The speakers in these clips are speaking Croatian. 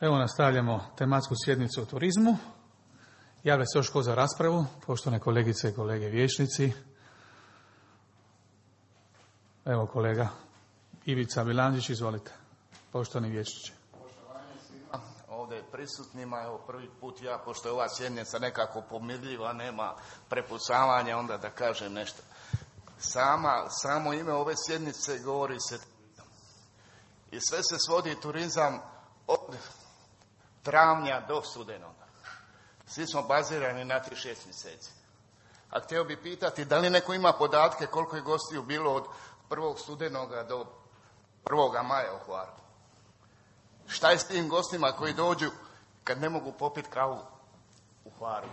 Evo nastavljamo tematsku sjednicu o turizmu. Javlja se još ko za raspravu, poštovane kolegice i kolege vijećnici. Evo kolega Ivica Bilandžić, izvolite, poštovani vijećniče. Poštovanje svima ovdje prisutnima, evo prvi put ja, pošto je ova sjednica nekako pomirljiva, nema prepucavanja, onda da kažem nešto. Samo ime ove sjednice govori se turizam. I sve se svodi turizam od travnja do studenoga. Svi smo bazirani na 3-6 mjeseci. A htio bi pitati da li neko ima podatke koliko je gostiju bilo od 1. studenoga do 1. maja u Hvaru. Šta je s tim gostima koji dođu kad ne mogu popiti kavu u Hvaru?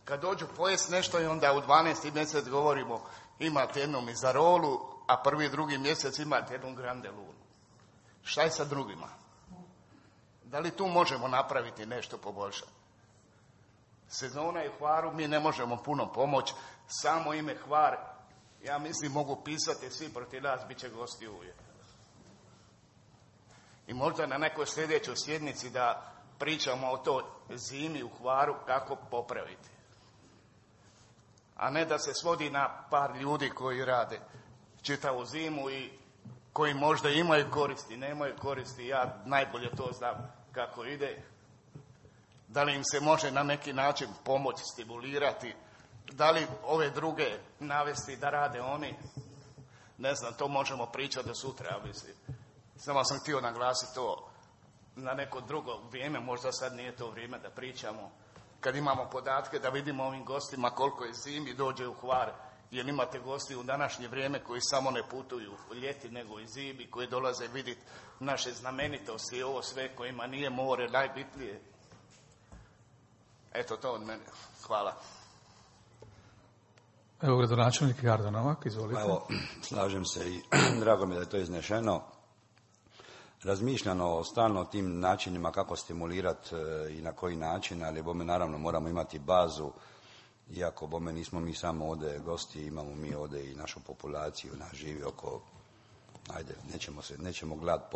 Kad dođu pojest nešto i onda u 12. mjesec govorimo imate jednu mizarolu, a 1. 2. mjesec imate jednu grande lunu. Šta je sa drugima? Da li tu možemo napraviti nešto poboljšati? Sezona je u Hvaru, mi ne možemo puno pomoći, samo ime Hvar, ja mislim mogu pisati svi protiv nas, bit će gosti uvijek. I možda na nekoj sljedećoj sjednici da pričamo o toj zimi u Hvaru kako popraviti. A ne da se svodi na par ljudi koji rade čitavu zimu i koji možda imaju koristi, nemaju koristi, ja najbolje to znam kako ide. Da li im se može na neki način pomoći, stimulirati, da li ove druge navesti da rade oni, ne znam, to možemo pričati do sutra, mislim. Samo sam htio naglasiti to na neko drugo vrijeme, možda sad nije to vrijeme da pričamo, kad imamo podatke da vidimo ovim gostima koliko je zimi dođe u Hvar, jer imate gosti u današnje vrijeme koji samo ne putuju u ljeti nego i zimi, koji dolaze vidjeti naše znamenitosti i ovo sve kojima nije more najbitnije. Eto to od mene. Hvala. Evo gradonačelnik Jardo Novak, izvolite. Evo, slažem se i drago mi da je to iznešeno. Razmišljano stalno o tim načinima kako stimulirati i na koji način, ali bome naravno moramo imati bazu, iako bome nismo mi samo ovdje gosti, imamo mi ovdje i našu populaciju, nas živi oko, ajde, nećemo gledati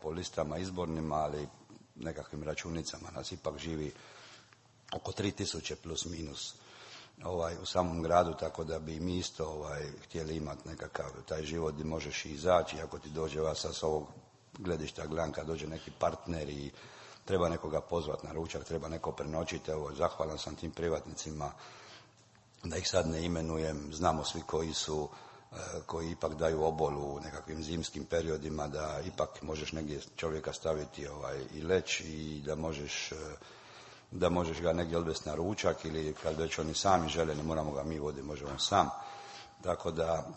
po listama izbornima, ali nekakvim računicama nas ipak živi oko 3000 plus minus u samom gradu, tako da bi mi isto htjeli imati nekakav taj život gdje možeš izaći, ako ti dođe s ovog gledišta, gledam kad dođe neki partner i treba nekoga pozvati na ručak, treba neko prenoćiti, evo, zahvalan sam tim privatnicima, da ih sad ne imenujem, znamo svi koji ipak daju obol u nekakvim zimskim periodima, da ipak možeš negdje čovjeka staviti i leći i da možeš ga negdje odvesti na ručak ili kad već oni sami žele, ne moramo ga mi voditi, možemo sam. Tako da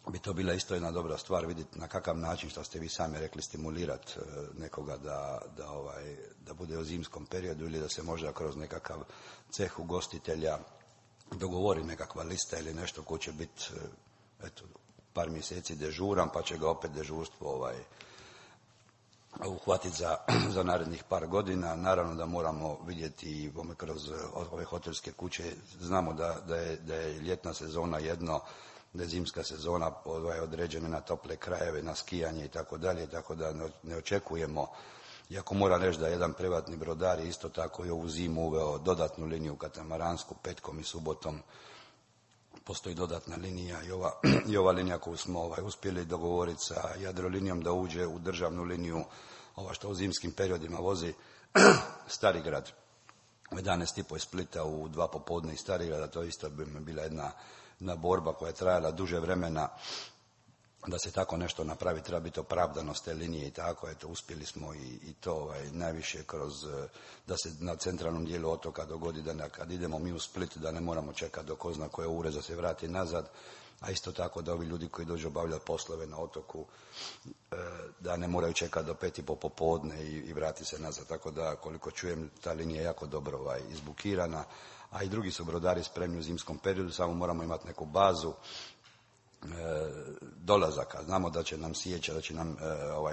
bi to bila isto jedna dobra stvar vidjeti na kakav način, što ste vi sami rekli, stimulirati nekoga da bude u zimskom periodu ili da se možda kroz nekakav ceh ugostitelja dogovori nekakva lista ili nešto ko će biti par mjeseci dežuran, pa će ga opet dežurstvo uhvatiti za narednih par godina. Naravno da moramo vidjeti i kroz ove hotelske kuće, znamo da je ljetna sezona jedno, da je zimska sezona određena na tople krajeve, na skijanje i tako dalje, tako da ne očekujemo, iako moram reći da jedan privatni brodar je isto tako i ovu zimu uveo dodatnu liniju katamaransku, petkom i subotom postoji dodatna linija i ova linija koju smo uspjeli dogovoriti sa Jadrolinijom da uđe u državnu liniju, što u zimskim periodima vozi Starigrad u 11:30 iz Splita u 2 popodne iz Starigrada. To isto bi bila jedna borba koja je trajala duže vremena da se tako nešto napravi, treba biti opravdanost te linije i tako, uspjeli smo i to najviše kroz, da se na centralnom dijelu otoka dogodi da kad idemo mi u Split da ne moramo čekati do ko zna koje ure da se vrati nazad, a isto tako da ovi ljudi koji dođu obavljati poslove na otoku da ne moraju čekati do 5:30 popodne i vrati se nazad, tako da koliko čujem ta linija je jako dobro izbukirana, a i drugi su brodari spremni u zimskom periodu, samo moramo imati neku bazu dolazaka. Znamo da će nam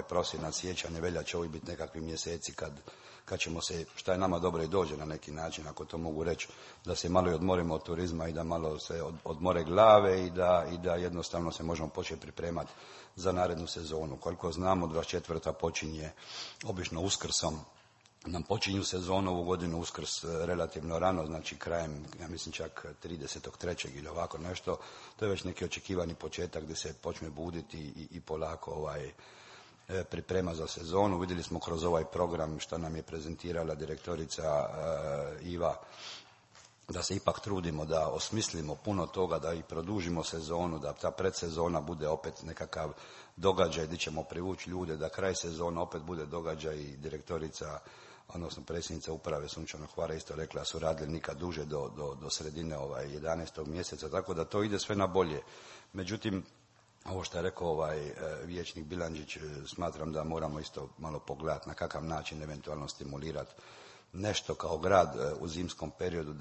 prosinac, siječanj i veljača ovi biti nekakvi mjeseci kad ćemo se, šta je nama dobro i dođe na neki način, ako to mogu reći, da se malo i odmorimo od turizma i da malo se odmore glave i da jednostavno se možemo početi pripremati za narednu sezonu. Koliko znamo, 24. počinje obično Uskrsom, nam počinju sezonu ovu godinu Uskrs relativno rano, znači krajem, ja mislim čak 30.3. ili ovako nešto. To je već neki očekivani početak gdje se počne buditi i polako priprema za sezonu. Vidjeli smo kroz ovaj program što nam je prezentirala direktorica Iva, da se ipak trudimo da osmislimo puno toga, da i produžimo sezonu, da ta predsezona bude opet nekakav događaj gdje ćemo privući ljude, da kraj sezona opet bude događaj. I direktorica, odnosno predsjednica uprave Sunčanog Hvara isto rekla da su radili nikad duže do sredine 11. mjeseca, tako da to ide sve na bolje. Međutim, ovo što je rekao vijećnik Bilandžić, smatram da moramo isto malo pogledati na kakav način eventualno stimulirati nešto kao grad u zimskom periodu,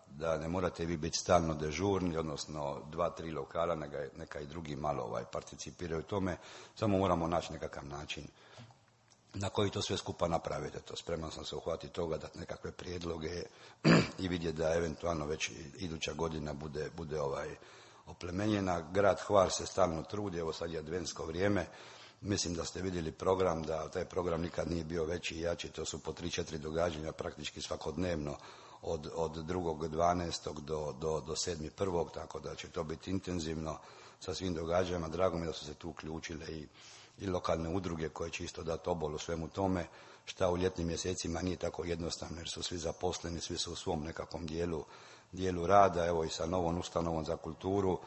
da ne morate vi biti stalno dežurni, odnosno 2-3 lokala, neka i drugi malo participiraju u tome, samo moramo naći nekakav način na koji to sve skupa napravite. To spreman sam se uhvatiti toga, dati nekakve prijedloge i vidjeti da eventualno već iduća godina bude oplemenjena. Grad Hvar se stalno trudi, evo sad je adventsko vrijeme, mislim da ste vidjeli program, da taj program nikad nije bio veći i jači, to su po 3-4 događanja praktički svakodnevno od 2.12. do 7.1. tako da će to biti intenzivno sa svim događajima. Drago mi da su se tu uključile i lokalne udruge koje će isto dati obol u svemu tome, šta u ljetnim mjesecima nije tako jednostavno jer su svi zaposleni, svi su u svom nekakvom dijelu rada. Evo i sa novom ustanovom za kulturu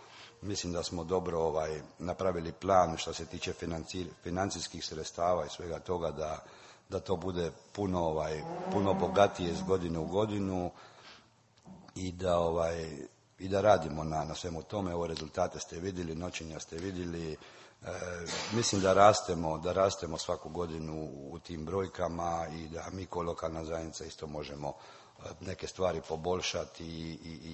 mislim da smo dobro napravili plan što se tiče financijskih sredstava i svega toga da to bude puno bogatije iz godine u godinu i da radimo na svemu tome. Evo rezultate ste vidjeli, noćenja ste vidjeli. Mislim da rastemo svaku godinu u tim brojkama i da mi kao lokalna zajednica isto možemo neke stvari poboljšati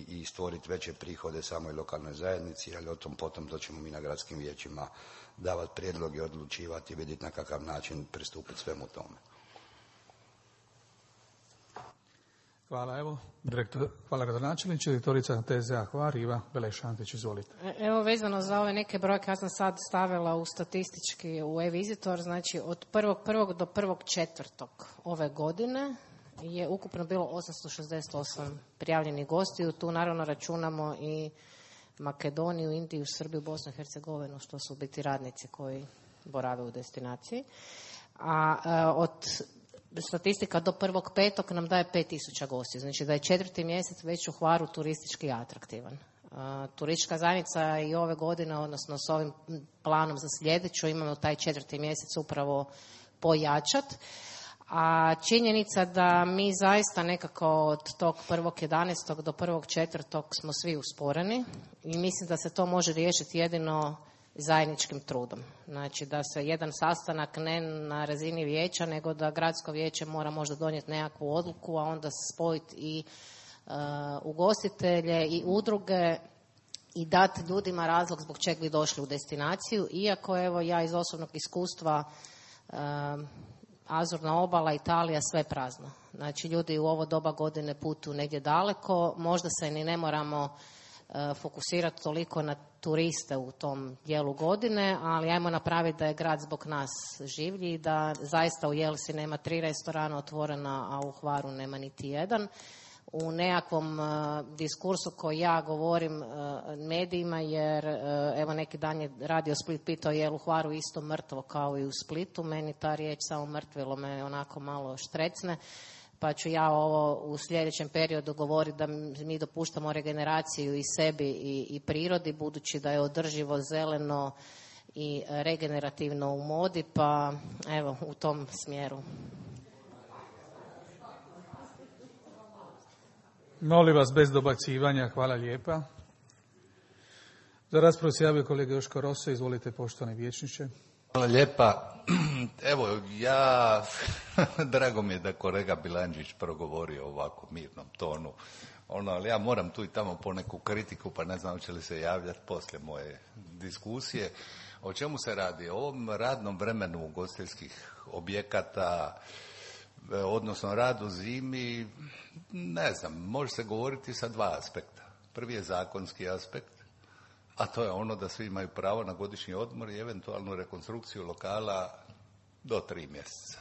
i stvoriti veće prihode samoj lokalnoj zajednici, ali o tom potom to ćemo mi na gradskim vijećima davati prijedloge, odlučivati i vidjeti na kakav način pristupiti svemu tome. Hvala, evo, hvala gradonačelniče, direktorica TZA Hvar, Iva Belešantić, izvolite. Evo, vezano za ove neke brojke, ja sam sad stavila u statistički u e-Visitor, znači od 1.1. do 1.4. ove godine je ukupno bilo 868 prijavljenih gostiju. Tu naravno računamo i Makedoniju, Indiju, Srbiju, Bosnu i Hercegovinu, što su biti radnici koji borave u destinaciji. A od statistika do 1.5. nam daje 5000 gostiju. Znači da je 4. mjesec već u Hvaru turistički atraktivan. Turistička zajednica i ove godine, odnosno s ovim planom za sljedeću, imamo taj 4. mjesec upravo pojačat. A činjenica da mi zaista nekako od tog 1.11. do 1.4. smo svi usporeni i mislim da se to može riješiti jedino zajedničkim trudom. Znači da se jedan sastanak ne na razini vijeća, nego da gradsko vijeće mora možda donijeti nekakvu odluku, a onda spojiti i ugostitelje i udruge i dati ljudima razlog zbog čeg bi došli u destinaciju. Iako evo ja iz osobnog iskustva Azurna obala, Italija, sve prazno. Znači ljudi u ovo doba godine putuju negdje daleko, možda se ni ne moramo fokusirati toliko na turiste u tom dijelu godine, ali ajmo napraviti da je grad zbog nas življi, da zaista u Jelsi nema 3 restorana otvorena, a u Hvaru nema niti jedan. U nekakvom diskursu koji ja govorim medijima, jer evo neki dan je Radio Split pitao je u Hvaru isto mrtvo kao i u Splitu, meni ta riječ samo mrtvilo me onako malo štrecne, pa ću ja ovo u sljedećem periodu govoriti da mi dopuštamo regeneraciju i sebi i prirodi, budući da je održivo, zeleno i regenerativno u modi, pa evo u tom smjeru. Molim vas bez dobacivanja, hvala lijepa. Za raspravu se javio kolega Joško Rosa, izvolite poštovani vijećniče. Hvala lijepa. Evo, ja Drago mi je da kolega Bilandžić progovorio ovako mirnom tonu. Ali ja moram tu i tamo poneku kritiku, pa ne znam hoće li se javljati poslije moje diskusije. O čemu se radi? O ovom radnom vremenu ugostiteljskih objekata, odnosno radu zimi, ne znam, može se govoriti sa dva aspekta. Prvi je zakonski aspekt, a to je ono da svi imaju pravo na godišnji odmor i eventualnu rekonstrukciju lokala do 3 mjeseca.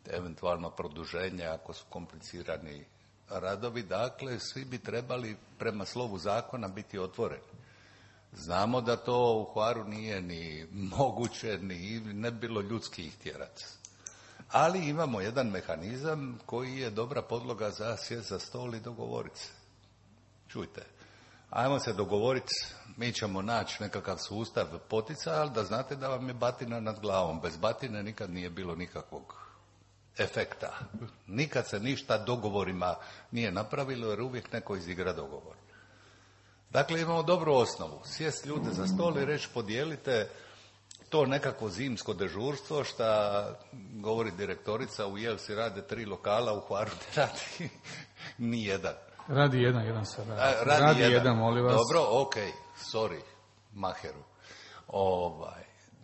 Eventualno produženje ako su komplicirani radovi, dakle svi bi trebali prema slovu zakona biti otvoreni. Znamo da to u Hvaru nije ni moguće, ni ne bilo ljudski ih tjerati. Ali imamo jedan mehanizam koji je dobra podloga za sjest za stol i dogovoriti se. Čujte, ajmo se dogovoriti, mi ćemo naći nekakav sustav poticaja, ali da znate da vam je batina nad glavom. Bez batine nikad nije bilo nikakvog efekta. Nikad se ništa dogovorima nije napravilo jer uvijek neko izigra dogovor. Dakle, imamo dobru osnovu. Sjest ljude za stol i reći podijelite to nekako zimsko dežurstvo šta govori direktorica u Jelsi rade 3 lokala, u Hvaru ne radi ni jedan. Radi jedan se radi. Radi jedan, molim vas. Dobro, sorry, maheru.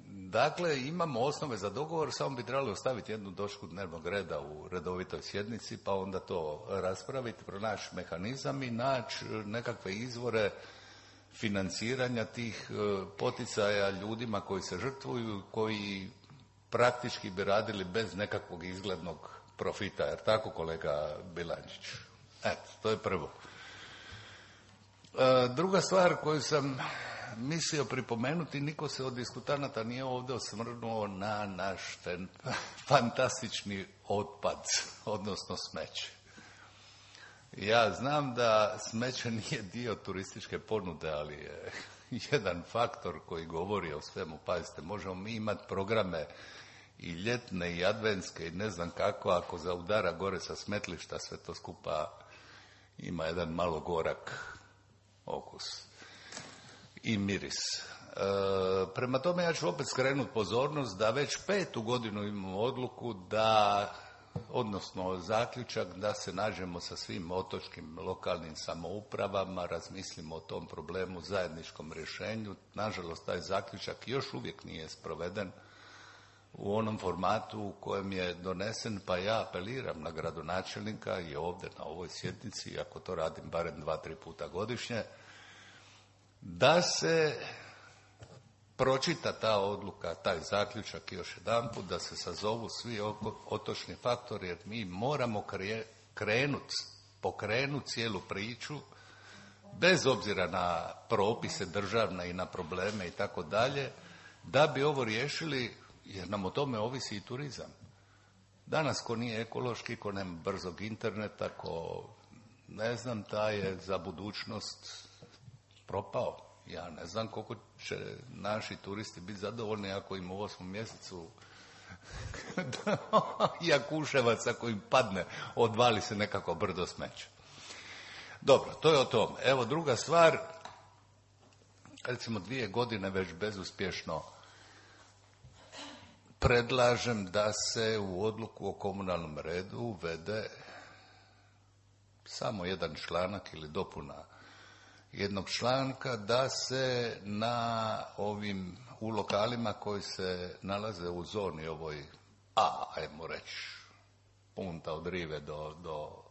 Dakle, imamo osnove za dogovor, samo bi trebali ostaviti jednu točku dnevnog reda u redovitoj sjednici, pa onda to raspraviti, pronaći mehanizam i naći nekakve izvore financiranja tih poticaja ljudima koji se žrtvuju, koji praktički bi radili bez nekakvog izglednog profita, jer tako kolega Bilandžić? Eto, to je prvo. Druga stvar koju sam mislio pripomenuti, niko se od diskutanata nije ovdje osvrnuo na naš fantastični otpad, odnosno smeće. Ja znam da smeće nije dio turističke ponude, ali je jedan faktor koji govori o svemu. Pazite, možemo mi imati programe i ljetne i adventske i ne znam kako, ako zaudara gore sa smetlišta, sve to skupa ima jedan malo gorak okus i miris. Prema tome ja ću opet skrenuti pozornost da već 5. godinu imamo odluku da, odnosno zaključak da se nađemo sa svim otočkim lokalnim samoupravama, razmislimo o tom problemu, zajedničkom rješenju. Nažalost, taj zaključak još uvijek nije sproveden u onom formatu u kojem je donesen, pa ja apeliram na gradonačelnika i ovdje na ovoj sjednici, iako to radim barem 2-3 puta godišnje, da se pročita ta odluka, taj zaključak još jedanput, da se sazovu svi otočni faktori, jer mi moramo pokrenuti cijelu priču, bez obzira na propise državne i na probleme i tako dalje, da bi ovo riješili, jer nam o tome ovisi i turizam. Danas ko nije ekološki, ko nema brzog interneta, ko ne znam, taj je za budućnost propao. Ja ne znam koliko će naši turisti biti zadovoljni ako im u 8. mjesecu Jakuševac ako im padne, odvali se nekako brdo smeća. Dobro, to je o tom. Evo druga stvar, recimo 2 godine već bezuspješno predlažem da se u odluku o komunalnom redu uvede samo jedan članak ili dopuna jednog članka, da se u lokalima koji se nalaze u zoni ovoj ajmo reći, punta od Rive do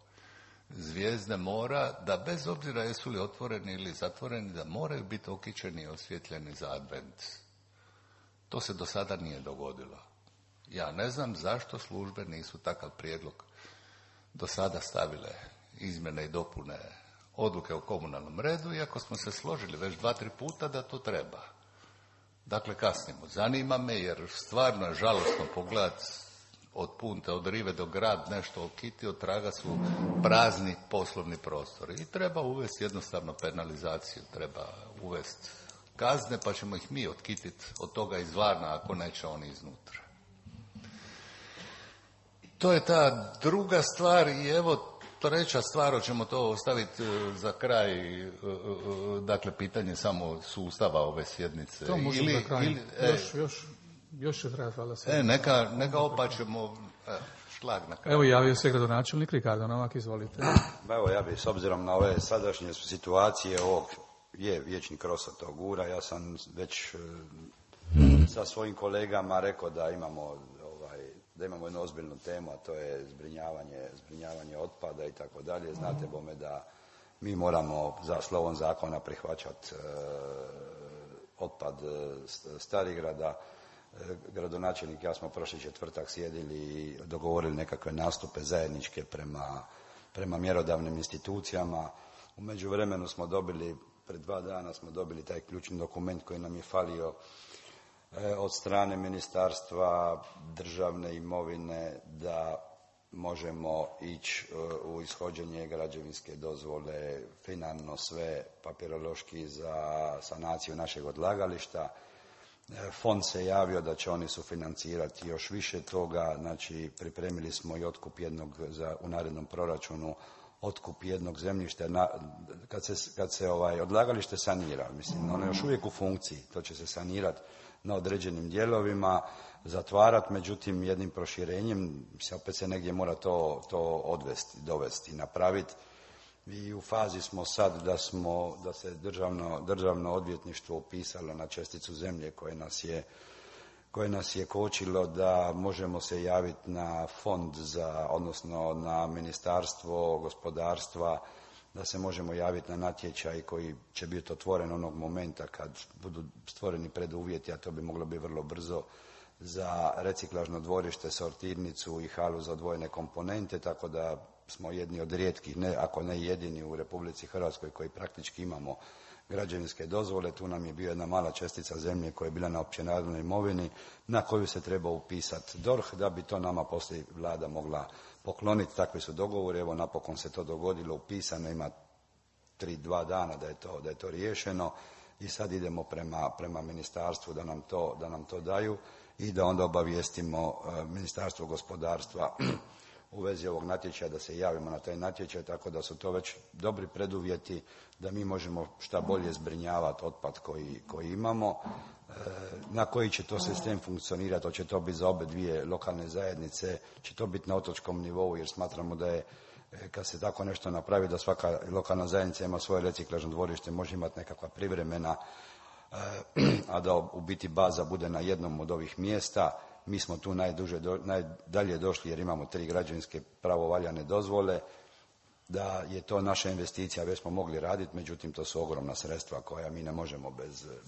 Zvijezde mora, da bez obzira jesu li otvoreni ili zatvoreni, da moraju biti okićeni i osvjetljeni za advent. To se do sada nije dogodilo. Ja ne znam zašto službe nisu takav prijedlog do sada stavile, izmjene i dopune odluke o komunalnom redu, iako smo se složili već 2-3 puta da to treba. Dakle, kasnimo. Zanima me, jer stvarno je žalostno pogledati od punte, od Rive do grad, nešto okiti, od traga su prazni poslovni prostori. I treba uvesti jednostavno penalizaciju, treba uvesti kazne, pa ćemo ih mi otkititi od toga izvana, ako neće oni iznutra. To je ta druga stvar i evo treća stvar, hoćemo to ostaviti za kraj, dakle pitanje samo sustava ove sjednice. To možemo za kraj. Još će trajati, valjda se. Neka opa ćemo Šlag na kraju. Evo javio se gradonačelnik Ricardo Novak, izvolite. Evo, ja bih s obzirom na ove sadašnje situacije ovog je vječni krosa tog gura, ja sam već sa svojim kolegama rekao da imamo jednu ozbiljnu temu, a to je zbrinjavanje otpada i tako dalje. Znate bome da mi moramo za slovom zakona prihvaćati otpad Starigrada. Gradonačelnik i ja smo prošli četvrtak sjedili i dogovorili nekakve nastupe zajedničke prema mjerodavnim institucijama. U međuvremenu smo dobili, pred 2 dana smo dobili taj ključni dokument koji nam je falio od strane Ministarstva državne imovine da možemo ići u ishođenje građevinske dozvole, finalno sve papirološki za sanaciju našeg odlagališta. Fond se javio da će oni sufinancirati još više toga, znači pripremili smo i otkup u narednom proračunu otkup jednog zemljišta. Kad se odlagalište sanira, mislim, ono je još uvijek u funkciji, to će se sanirati na određenim dijelovima, zatvarati, međutim jednim proširenjem opet se negdje mora to dovesti, napraviti. I u fazi smo sad da se državno odvjetništvo upisalo na česticu zemlje koje nas je kočilo da možemo se javiti na fond odnosno na Ministarstvo gospodarstva, da se možemo javiti na natječaj koji će biti otvoren onog momenta kad budu stvoreni preduvjeti, a to bi moglo biti vrlo brzo, za reciklažno dvorište, sortirnicu i halu za odvojene komponente, tako da smo jedni od rijetkih, ako ne jedini u Republici Hrvatskoj koji praktički imamo građevinske dozvole. Tu nam je bio jedna mala čestica zemlje koja je bila na općenarodnoj imovini na koju se treba upisati DORH da bi to nama poslije vlada mogla pokloniti. Takvi su dogovori, evo napokon se to dogodilo, upisano, ima 2 dana da je to riješeno i sad idemo prema ministarstvu da nam to daju i da onda obavijestimo Ministarstvo gospodarstva u vezi ovog natječaja, da se javimo na taj natječaj, tako da su to već dobri preduvjeti da mi možemo šta bolje zbrinjavati otpad koji imamo. Na koji će to sistem funkcionirati, hoće to biti za obe dvije lokalne zajednice, će to biti na otočkom nivou, jer smatramo da je, kad se tako nešto napravi, da svaka lokalna zajednica ima svoje reciklažno dvorište, može imati nekakva privremena, a da u biti baza bude na jednom od ovih mjesta. Mi smo tu najdalje došli jer imamo 3 građevinske pravovaljane dozvole, da je to naša investicija, već smo mogli raditi, međutim to su ogromna sredstva koja mi ne možemo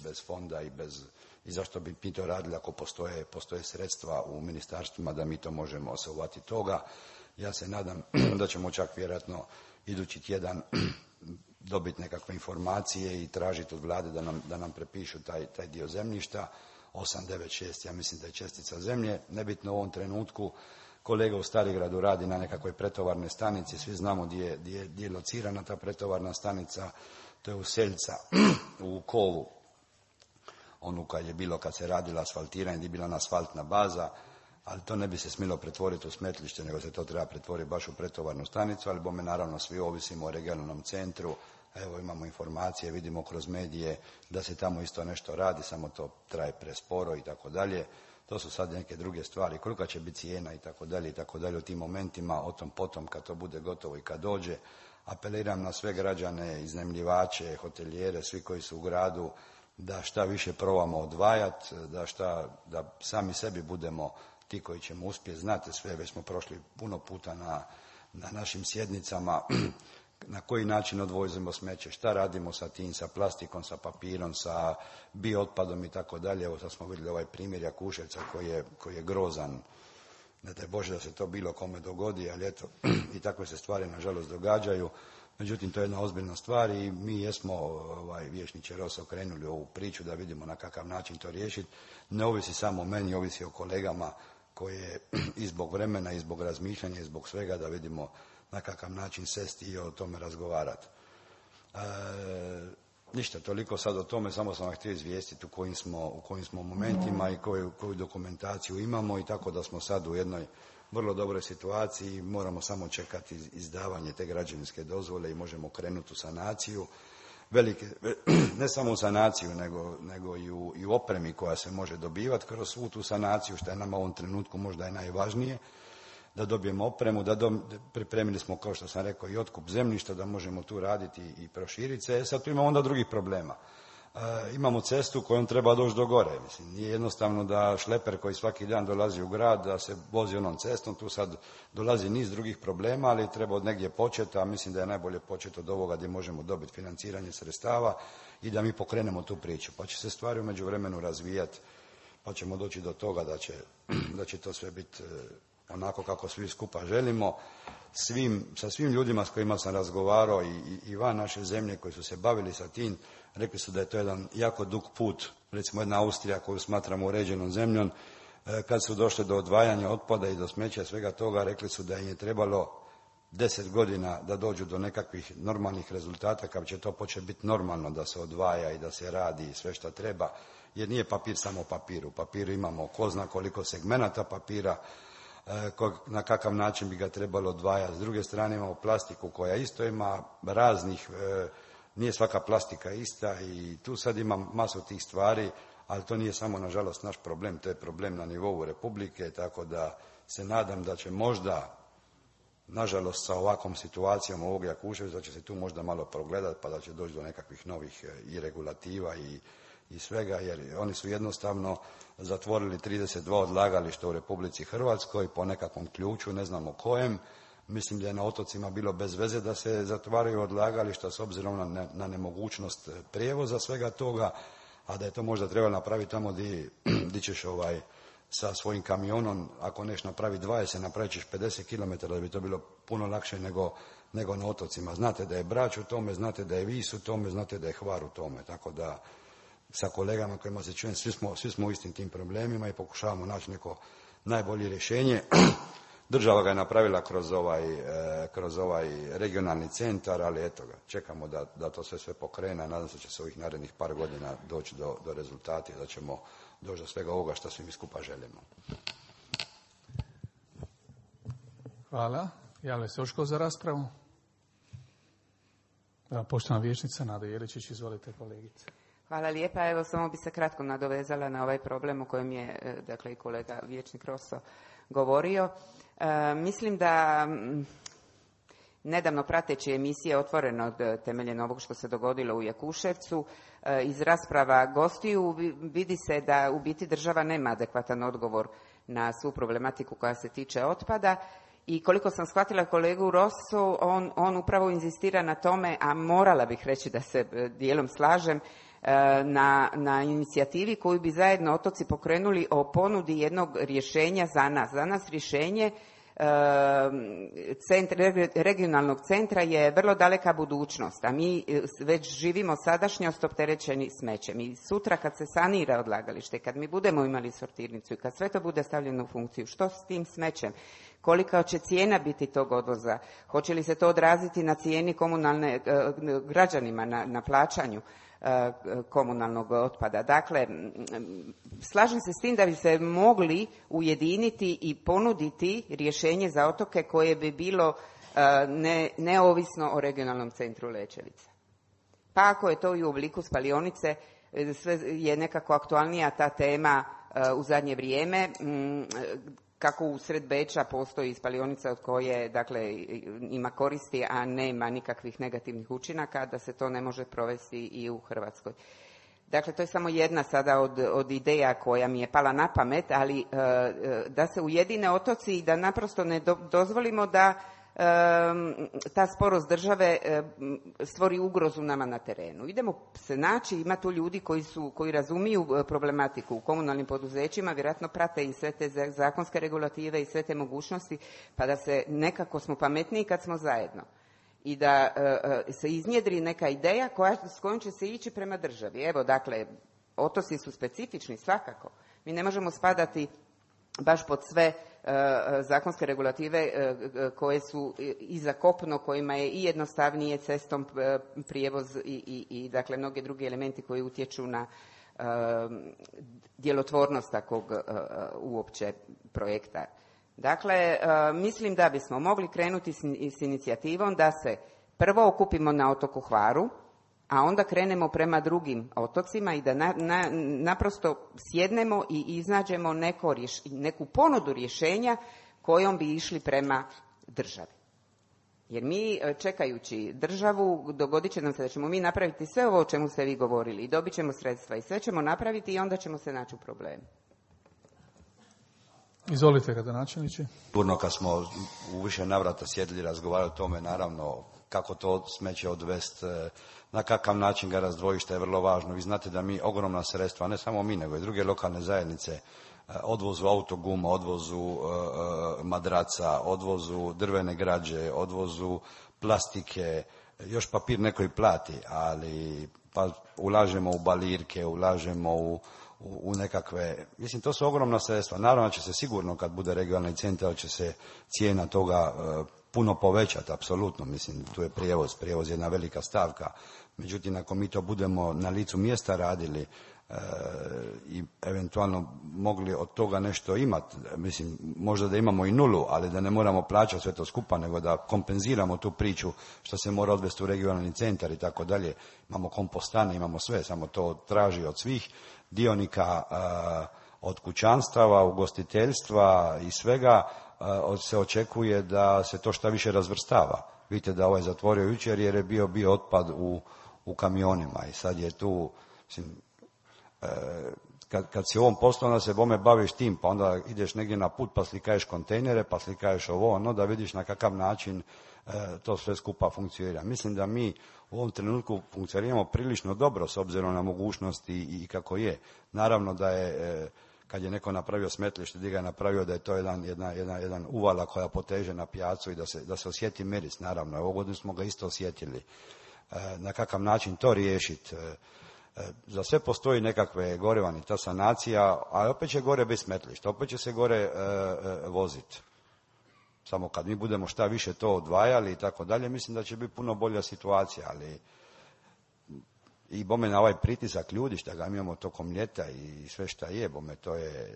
bez fonda i zašto bi mi to radili ako postoje sredstva u ministarstvima da mi to možemo se uhvatiti toga. Ja se nadam da ćemo čak vjerojatno idući tjedan dobiti nekakve informacije i tražiti od vlade da nam prepišu taj dio zemljišta. 896, ja mislim da je čestica zemlje, nebitno u ovom trenutku. Kolega u Starigradu radi na nekakvoj pretovarnoj stanici, svi znamo gdje je locirana ta pretovarna stanica, to je u Seljca, u Kovu, onu kad se radila asfaltiranje, gdje je bila asfaltna baza, ali to ne bi se smjelo pretvoriti u smetlište, nego se to treba pretvoriti baš u pretovarnu stanicu, ali bome naravno svi ovisimo o regionalnom centru. Evo imamo informacije, vidimo kroz medije da se tamo isto nešto radi, samo to traje presporo i tako dalje. To su sad neke druge stvari, kolika će biti cijena i tako dalje u tim momentima, o tom potom kad to bude gotovo i kad dođe. Apeliram na sve građane, iznajmljivače, hotelijere, svi koji su u gradu, da šta više probamo odvajati, da sami sebi budemo ti koji ćemo uspjeti. Znate sve, već smo prošli puno puta na našim sjednicama, na koji način odvozimo smeće, šta radimo sa tim, sa plastikom, sa papirom, sa biootpadom i tako dalje. Evo sad smo vidjeli ovaj primjer Jakuševca koji je grozan. Ne daj Bože da se to bilo kome dogodi, ali eto, i takve se stvari nažalost događaju. Međutim, to je jedna ozbiljna stvar i mi jesmo, vijećniče Rosa, okrenuli ovu priču da vidimo na kakav način to riješiti. Ne ovisi samo o meni, ovisi o kolegama koje i zbog vremena, i zbog razmišljanja, i zbog svega da vidimo na kakav način sesti i o tome razgovarati. Ništa, toliko sad o tome, samo sam vam htio izvijestiti u kojim smo momentima i koju dokumentaciju imamo i tako da smo sad u jednoj vrlo dobroj situaciji i moramo samo čekati izdavanje te građevinske dozvole i možemo krenuti u sanaciju. Ne samo u sanaciju, nego i u opremi koja se može dobivati kroz svu tu sanaciju, što je nama u ovom trenutku možda i najvažnije. da dobijemo opremu, pripremili smo, kao što sam rekao, i otkup zemljišta, da možemo tu raditi i proširiti se. Sad tu imamo onda drugih problema. Imamo cestu kojom treba doći do gore. Mislim, nije jednostavno da šleper koji svaki dan dolazi u grad, da se vozi onom cestom, tu sad dolazi niz drugih problema, ali treba od negdje početi, a mislim da je najbolje početi od ovoga gdje možemo dobiti financiranje sredstava i da mi pokrenemo tu priču. Pa će se stvari u međuvremenu razvijati, pa ćemo doći do toga da će to sve biti onako kako svi skupa želimo. Sa svim ljudima s kojima sam razgovarao i van naše zemlje koji su se bavili sa tim, rekli su da je to jedan jako dug put. Recimo jedna Austrija koju smatramo uređenom zemljom, kad su došli do odvajanja otpada i do smeća svega toga, rekli su da im je trebalo 10 godina da dođu do nekakvih normalnih rezultata, kad će to početi biti normalno da se odvaja i da se radi sve što treba, jer nije papir samo papir. U papiru imamo ko zna koliko segmenata papira, na kakav način bi ga trebalo odvajati. S druge strane imamo plastiku koja isto ima raznih, nije svaka plastika ista i tu sad ima masu tih stvari, ali to nije samo nažalost naš problem, to je problem na nivou Republike, tako da se nadam da će možda, nažalost sa ovakvom situacijom ovog Jakuševca, da će se tu možda malo progledati pa da će doći do nekakvih novih i regulativa i svega, jer oni su jednostavno zatvorili 32 odlagališta u Republici Hrvatskoj po nekakvom ključu, ne znamo kojem. Mislim da je na otocima bilo bez veze da se zatvaraju odlagališta s obzirom na nemogućnost prijevoza svega toga, a da je to možda trebalo napraviti tamo gdje ćeš sa svojim kamionom, ako neš napravi 20, napravit ćeš 50 km, da bi to bilo puno lakše nego na otocima. Znate da je Brač u tome, znate da je Vis u tome, znate da je Hvar u tome, tako da sa kolegama kojima se čujem, svi smo u istim tim problemima i pokušavamo naći neko najbolje rješenje. Država ga je napravila kroz ovaj regionalni centar, ali eto ga, čekamo da to sve pokrene. Nadam se da će se ovih narednih par godina doći do rezultata i da ćemo doći do svega ovoga što svi mi skupa želimo. Hvala. Javlja se još tko za raspravu? Poštovana vijećnica Nada Jeličić, izvolite kolegice. Hvala lijepa. Evo, samo bi se kratko nadovezala na ovaj problem o kojem je i kolega vijećnik Rosso govorio. Mislim da nedavno prateći emisije Otvoreno temeljem ovog što se dogodilo u Jakuševcu, iz rasprava gostiju vidi se da u biti država nema adekvatan odgovor na svu problematiku koja se tiče otpada. I koliko sam shvatila kolegu Rossu, on upravo inzistira na tome, a morala bih reći da se dijelom slažem, na inicijativi koju bi zajedno otoci pokrenuli o ponudi jednog rješenja za nas. Za nas rješenje regionalnog centra je vrlo daleka budućnost, a mi već živimo sadašnjost opterećeni smećem. I sutra kad se sanira odlagalište, kad mi budemo imali sortirnicu i kad sve to bude stavljeno u funkciju, što s tim smećem? Kolika će cijena biti tog odvoza? Hoće li se to odraziti na cijeni komunalne građanima, na plaćanju komunalnog otpada? Dakle, slažem se s tim da bi se mogli ujediniti i ponuditi rješenje za otoke koje bi bilo neovisno o regionalnom centru Lećevica. Pa ako je to i u obliku spalionice, sve je nekako aktualnija ta tema u zadnje vrijeme. Kako usred Beča postoji spalionica od koje ima koristi, a nema nikakvih negativnih učinaka, da se to ne može provesti i u Hrvatskoj. Dakle, to je samo jedna sada od ideja koja mi je pala na pamet, ali da se ujedine otoci i da naprosto ne dozvolimo da ta sporost države stvori ugrozu nama na terenu. Idemo se naći, ima tu ljudi koji razumiju problematiku u komunalnim poduzećima, vjerojatno prate i sve te zakonske regulative i sve te mogućnosti, pa da se nekako smo pametniji kad smo zajedno. I da se iznjedri neka ideja s kojom će se ići prema državi. Evo, dakle, otoci su specifični svakako. Mi ne možemo spadati baš pod sve zakonske regulative koje su i za kopno, kojima je i jednostavnije cestom prijevoz i dakle mnoge drugi elementi koji utječu na djelotvornost takvog uopće projekta. Dakle, mislim da bismo mogli krenuti s inicijativom da se prvo okupimo na otoku Hvaru, a onda krenemo prema drugim otocima i da naprosto sjednemo i iznađemo neku ponudu rješenja kojom bi išli prema državi. Jer mi, čekajući državu, dogodit će nam se da ćemo mi napraviti sve ovo o čemu ste vi govorili i dobit ćemo sredstva i sve ćemo napraviti i onda ćemo se naći u problemu. Izvolite, gradonačelniče. Sigurno kad smo u više navrata sjedili i razgovarali o tome, naravno, kako to smeće odvesti, na kakav način ga razdvojiti, što je vrlo važno. Vi znate da mi ogromna sredstva, ne samo mi, nego i druge lokalne zajednice, odvozu autoguma, odvozu madraca, odvozu drvene građe, odvozu plastike, još papir neko i plati, ali pa ulažemo u balirke, ulažemo u nekakve, mislim, to su ogromna sredstva. Naravno će se sigurno, kad bude regionalni centar, će se cijena toga puno povećati, apsolutno. Mislim, tu je prijevoz je jedna velika stavka. Međutim, ako mi to budemo na licu mjesta radili i eventualno mogli od toga nešto imati, mislim, možda da imamo i nulu, ali da ne moramo plaćati sve to skupa, nego da kompenziramo tu priču što se mora odvesti u regionalni centar i tako dalje. Imamo kompostane, imamo sve, samo to traži od svih dionika, od kućanstava, ugostiteljstva i svega, se očekuje da se to šta više razvrstava. Vidite da ovaj zatvorio jučer jer je bio otpad u kamionima i sad je tu, mislim, kad si u ovom poslu, onda se bome baviš tim, pa onda ideš negdje na put pa slikaješ kontejnere, pa slikaješ ovo, ono, da vidiš na kakav način to sve skupa funkcionira. Mislim da mi u ovom trenutku funkcioniramo prilično dobro s obzirom na mogućnosti i kako je. Naravno da je, kad je neko napravio smetlište, gdje ga je napravio, da je to jedan uvala koja poteže na pijacu i da se osjeti miris, naravno. Ovo godinu smo ga isto osjetili. Na kakav način to riješiti? Za sve postoji nekakve gorevani, ta sanacija, a opet će gore biti smetlište, opet će se gore voziti. Samo kad mi budemo šta više to odvajali i tako dalje, mislim da će biti puno bolja situacija, ali i bome na ovaj pritisak ljudi šta ga imamo tokom ljeta i sve šta je, bome to je,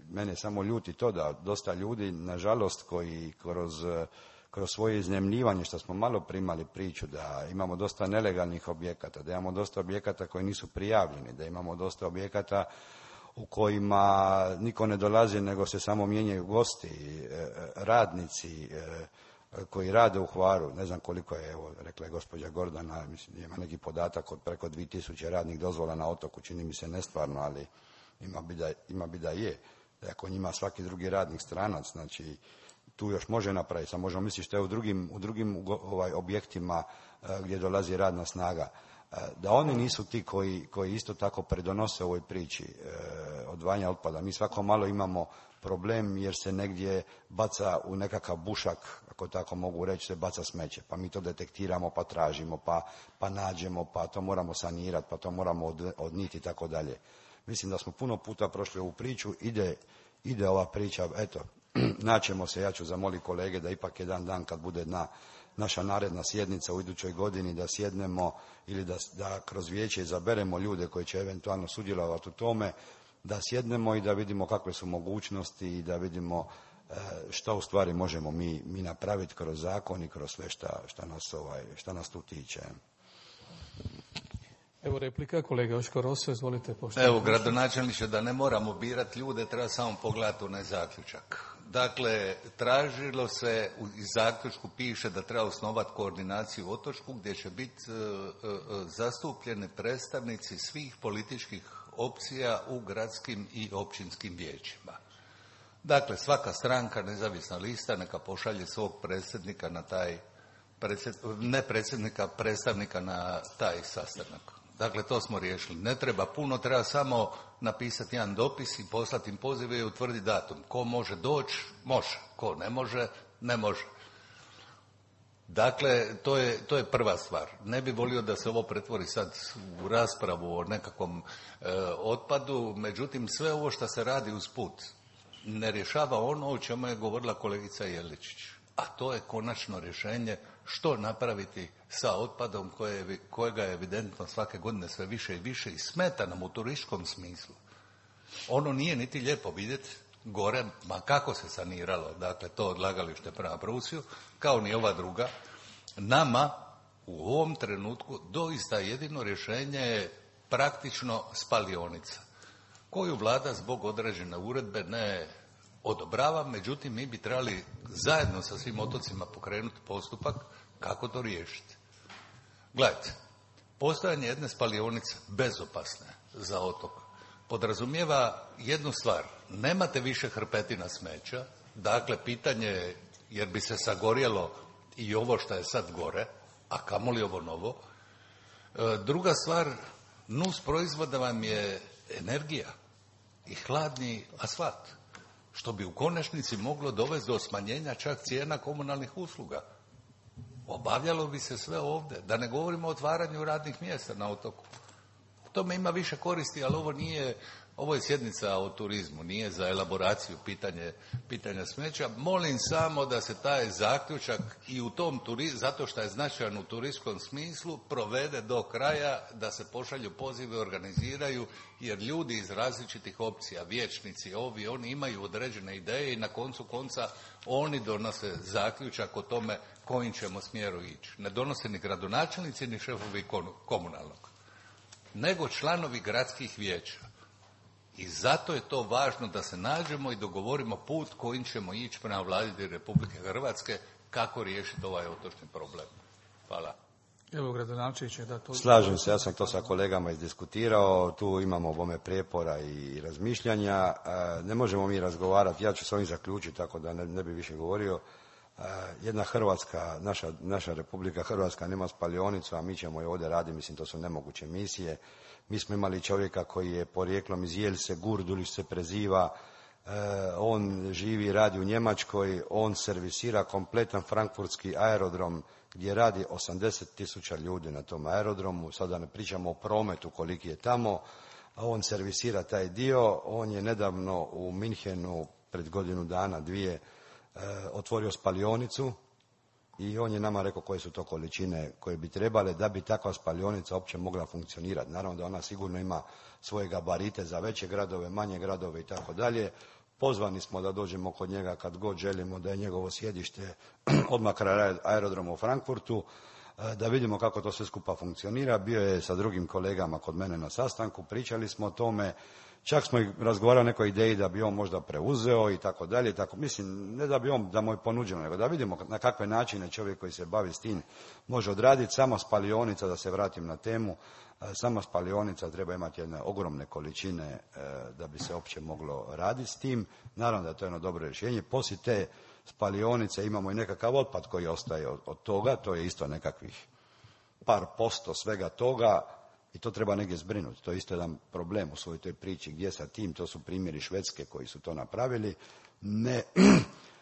mene samo ljuti to da dosta ljudi, nažalost, koji kroz svoje iznajmljivanje, što smo malo primali priču, da imamo dosta nelegalnih objekata, da imamo dosta objekata koji nisu prijavljeni, da imamo dosta objekata u kojima niko ne dolazi, nego se samo mijenjaju gosti, radnici koji rade u Hvaru. Ne znam koliko je, evo, rekla je gospođa Gordana, mislim, ima neki podatak od preko 2000 radnih dozvola na otoku, čini mi se nestvarno, ali ima bi da je. Da ako njima svaki drugi radnik stranac, znači tu još može napraviti, samo možemo misliti što je u drugim objektima gdje dolazi radna snaga. Da oni nisu ti koji isto tako pridonose ovoj priči odvajanja otpada. Mi svako malo imamo problem jer se negdje baca u nekakav bušak, ako tako mogu reći, se baca smeće. Pa mi to detektiramo, pa tražimo, pa nađemo, pa to moramo sanirati, pa to moramo odnijeti i tako dalje. Mislim da smo puno puta prošli ovu priču, ide ova priča, eto, naćemo se, ja ću zamoliti kolege da ipak jedan dan kad bude naša naredna sjednica u idućoj godini da sjednemo ili da kroz vijeće izaberemo ljude koji će eventualno sudjelovati u tome, da sjednemo i da vidimo kakve su mogućnosti i da vidimo šta u stvari možemo mi napraviti kroz zakon i kroz sve šta nas tu tiče. Evo replika, kolega Joško Roso, izvolite. Evo, gradonačelniče, da ne moramo birati ljude, treba samo pogledati onaj zaključak. Dakle, tražilo se, iz zaključku piše da treba osnovati koordinaciju u Otočku gdje će biti zastupljeni predstavnici svih političkih opcija u gradskim i općinskim vijećima. Dakle, svaka stranka, nezavisna lista, neka pošalje svog predsjednika na taj, predstavnika na taj sastanak. Dakle, to smo riješili. Ne treba puno, treba samo napisati jedan dopis i poslati im pozive i utvrditi datum. Ko može doći, može. Ko ne može, ne može. Dakle, to je prva stvar. Ne bi volio da se ovo pretvori sad u raspravu o nekakvom otpadu, međutim, sve ovo što se radi usput ne rješava ono o čemu je govorila kolegica Jeličić. A to je konačno rješenje što napraviti sa otpadom kojega je evidentno svake godine sve više i više i smeta nam u turističkom smislu. Ono nije niti lijepo vidjeti gore, ma kako se saniralo, dakle to odlagalište prema Prusiju, kao ni ova druga. Nama u ovom trenutku doista jedino rješenje je praktično spalionica, koju vlada zbog određene uredbe ne odobravam, međutim mi bi trebali zajedno sa svim otocima pokrenuti postupak kako to riješiti. Gledajte, postojanje jedne spalionice bezopasne za otok podrazumijeva jednu stvar. Nemate više hrpetina smeća, dakle pitanje je, jer bi se sagorjelo i ovo što je sad gore, a kamoli ovo novo. Druga stvar, nus proizvoda vam je energija i hladni asfalt, što bi u konačnici moglo dovesti do smanjenja čak cijena komunalnih usluga. Obavljalo bi se sve ovdje, da ne govorimo o otvaranju radnih mjesta na otoku. Tome ima više koristi, ali ovo je sjednica o turizmu, nije za elaboraciju pitanja smeća. Molim samo da se taj zaključak i u tom zato što je značajan u turistskom smislu, provede do kraja, da se pošalju pozive, organiziraju, jer ljudi iz različitih opcija, vijećnici, oni imaju određene ideje i na koncu konca oni donose zaključak o tome kojim ćemo smjeru ići. Ne donose ni gradonačelnici ni šefovi komunalnog, nego članovi gradskih vijeća. I zato je to važno da se nađemo i dogovorimo put kojim ćemo ići prema Vladi Republike Hrvatske kako riješiti ovaj otočni problem. Hvala. Evo, gradonačelnik će da to... Slažem se, ja sam to sa kolegama izdiskutirao, tu imamo bome prijepora i razmišljanja. Ne možemo mi razgovarati, ja ću s ovim zaključiti, tako da ne bi više govorio. Jedna Hrvatska, naša Republika Hrvatska nema spalionicu, a mi ćemo je ovdje raditi, mislim to su nemoguće misije. Mi smo imali čovjeka koji je porijeklom iz Jelse, Gurdulić se preziva, on živi i radi u Njemačkoj, on servisira kompletan frankfurtski aerodrom gdje radi 80.000 ljudi na tom aerodromu, sada ne pričamo o prometu koliki je tamo, a on servisira taj dio. On je nedavno u Minhenu pred godinu dana, dvije, otvorio spalionicu i on je nama rekao koje su to količine koje bi trebale da bi takva spalionica uopće mogla funkcionirati. Naravno da ona sigurno ima svoje gabarite za veće gradove, manje gradove i tako dalje. Pozvani smo da dođemo kod njega kad god želimo, da je njegovo sjedište odmah kraj aerodroma u Frankfurtu, da vidimo kako to sve skupa funkcionira. Bio je sa drugim kolegama kod mene na sastanku, pričali smo o tome. Čak smo i razgovarali o nekoj ideji da bi on možda preuzeo i tako dalje. Mislim, ne da bi on, da mu je ponuđeno, nego da vidimo na kakve načine čovjek koji se bavi s tim može odraditi. Sama spalionica, da se vratim na temu, sama spalionica treba imati jedne ogromne količine da bi se uopće moglo raditi s tim. Naravno da je to jedno dobro rješenje. Poslije te spalionice imamo i nekakav otpad koji ostaje od toga, to je isto nekakvih par posto svega toga. I to treba negdje zbrinuti. To je isto jedan problem u svojoj toj priči. Gdje sa tim? To su primjeri Švedske koji su to napravili.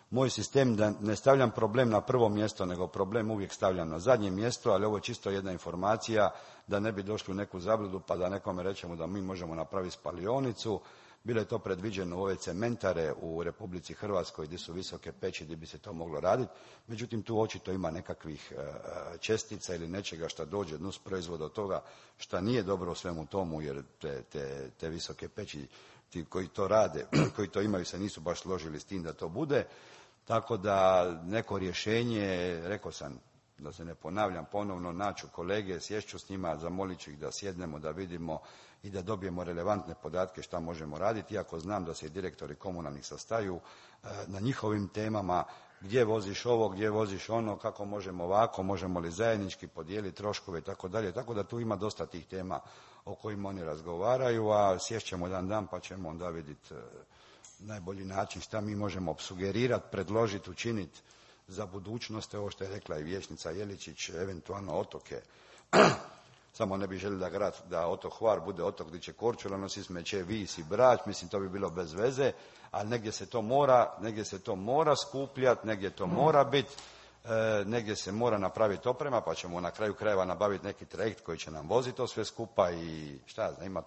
Moj sistem da ne stavljam problem na prvo mjesto, nego problem uvijek stavljam na zadnje mjesto, ali ovo je čisto jedna informacija da ne bi došli u neku zabludu pa da nekome rečemo da mi možemo napraviti spalionicu. Bilo je to predviđeno u ove cementare u Republici Hrvatskoj gdje su visoke peći gdje bi se to moglo raditi. Međutim, tu očito ima nekakvih čestica ili nečega što dođe nus proizvoda od toga što nije dobro u svemu tomu, jer te visoke peći, ti koji to rade, koji to imaju, se nisu baš složili s tim da to bude. Tako da neko rješenje, rekao sam, da se ne ponavljam ponovno, naću kolege, sješću s njima, zamolit ću ih da sjednemo, da vidimo i da dobijemo relevantne podatke šta možemo raditi, iako znam da se i direktori komunalnih sastaju na njihovim temama, gdje voziš ovo, gdje voziš ono, kako možemo ovako, možemo li zajednički podijeliti troškove i tako dalje, tako da tu ima dosta tih tema o kojima oni razgovaraju, a sješćemo jedan dan pa ćemo onda vidjeti najbolji način šta mi možemo sugerirati, predložiti, učiniti za budućnost, ovo što je rekla i vijećnica Jeličić, eventualno otoke. Samo ne bi želili da otok Hvar bude otok gdje će Korčula nositi smeće, Vis i Brač, mislim to bi bilo bez veze, ali negdje se to mora skupljati, negdje to mora biti, negdje se mora napraviti oprema, pa ćemo na kraju krajeva nabaviti neki trajekt koji će nam voziti to sve skupa i šta znam,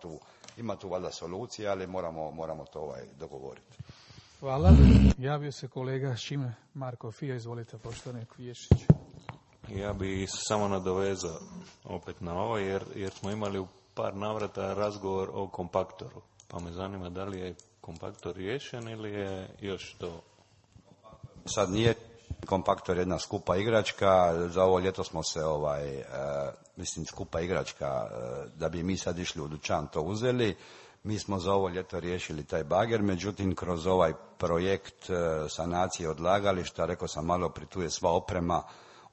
ima tu valjda solucija, ali moramo to dogovoriti. Hvala. Javio se kolega Šime Marko Fija, izvolite poštovani Kviješić. Ja bi samo nadovezao opet na ovo, jer smo imali u par navrata razgovor o kompaktoru. Pa me zanima da li je kompaktor riješen ili je još to... Sad nije kompaktor jedna skupa igračka, za ovo ljeto smo se skupa igračka, da bi mi sad išli u dućan to uzeli. Mi smo za ovo ljeto riješili taj bager, međutim kroz ovaj projekt sanacije odlagališta, rekao sam malo prije, tu je sva oprema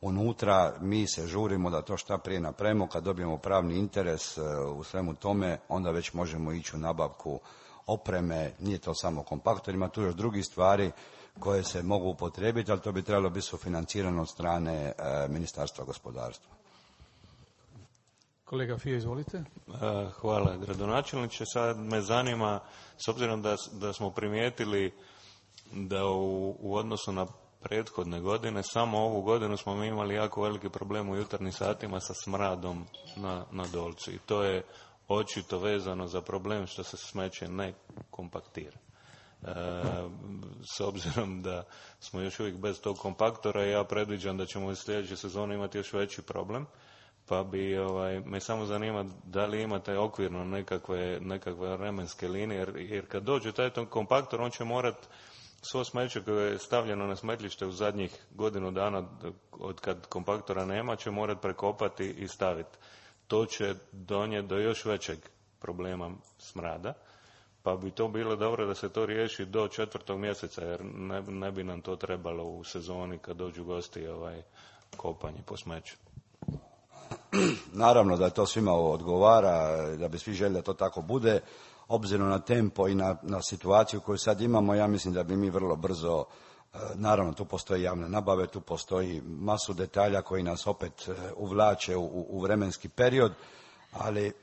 unutra, mi se žurimo da to šta prije napravimo, kad dobijemo pravni interes u svemu tome, onda već možemo ići u nabavku opreme, nije to samo kompaktor, ima tu još drugih stvari koje se mogu upotrijebiti, ali to bi trebalo biti sufinancirano od strane Ministarstva gospodarstva. Kolega Fija, izvolite. Hvala, gradonačelniče. Sad me zanima, s obzirom da smo primijetili da u odnosu na prethodne godine, samo ovu godinu smo mi imali jako veliki problem u jutarnjim satima sa smradom na Dolcu. I to je očito vezano za problem što se smeće ne kompaktira. S obzirom da smo još uvijek bez tog kompaktora, ja predviđam da ćemo u sljedećoj sezoni imati još veći problem. Pa bi me samo zanima da li imate okvirno nekakve vremenske linije, jer kad dođe taj kompaktor, on će morati svo smeće koje je stavljeno na smetlište u zadnjih godinu dana od kad kompaktora nema, će morati prekopati i staviti. To će donijeti do još većeg problema smrada, pa bi to bilo dobro da se to riješi do 4. mjeseca, jer ne bi nam to trebalo u sezoni kad dođu gosti kopanje po smeću. Naravno da to svima odgovara, da bi svi željeli da to tako bude. Obzirom na tempo i na situaciju koju sad imamo, ja mislim da bi mi vrlo brzo, naravno tu postoji javne nabave, tu postoji masu detalja koji nas opet uvlače u vremenski period, ali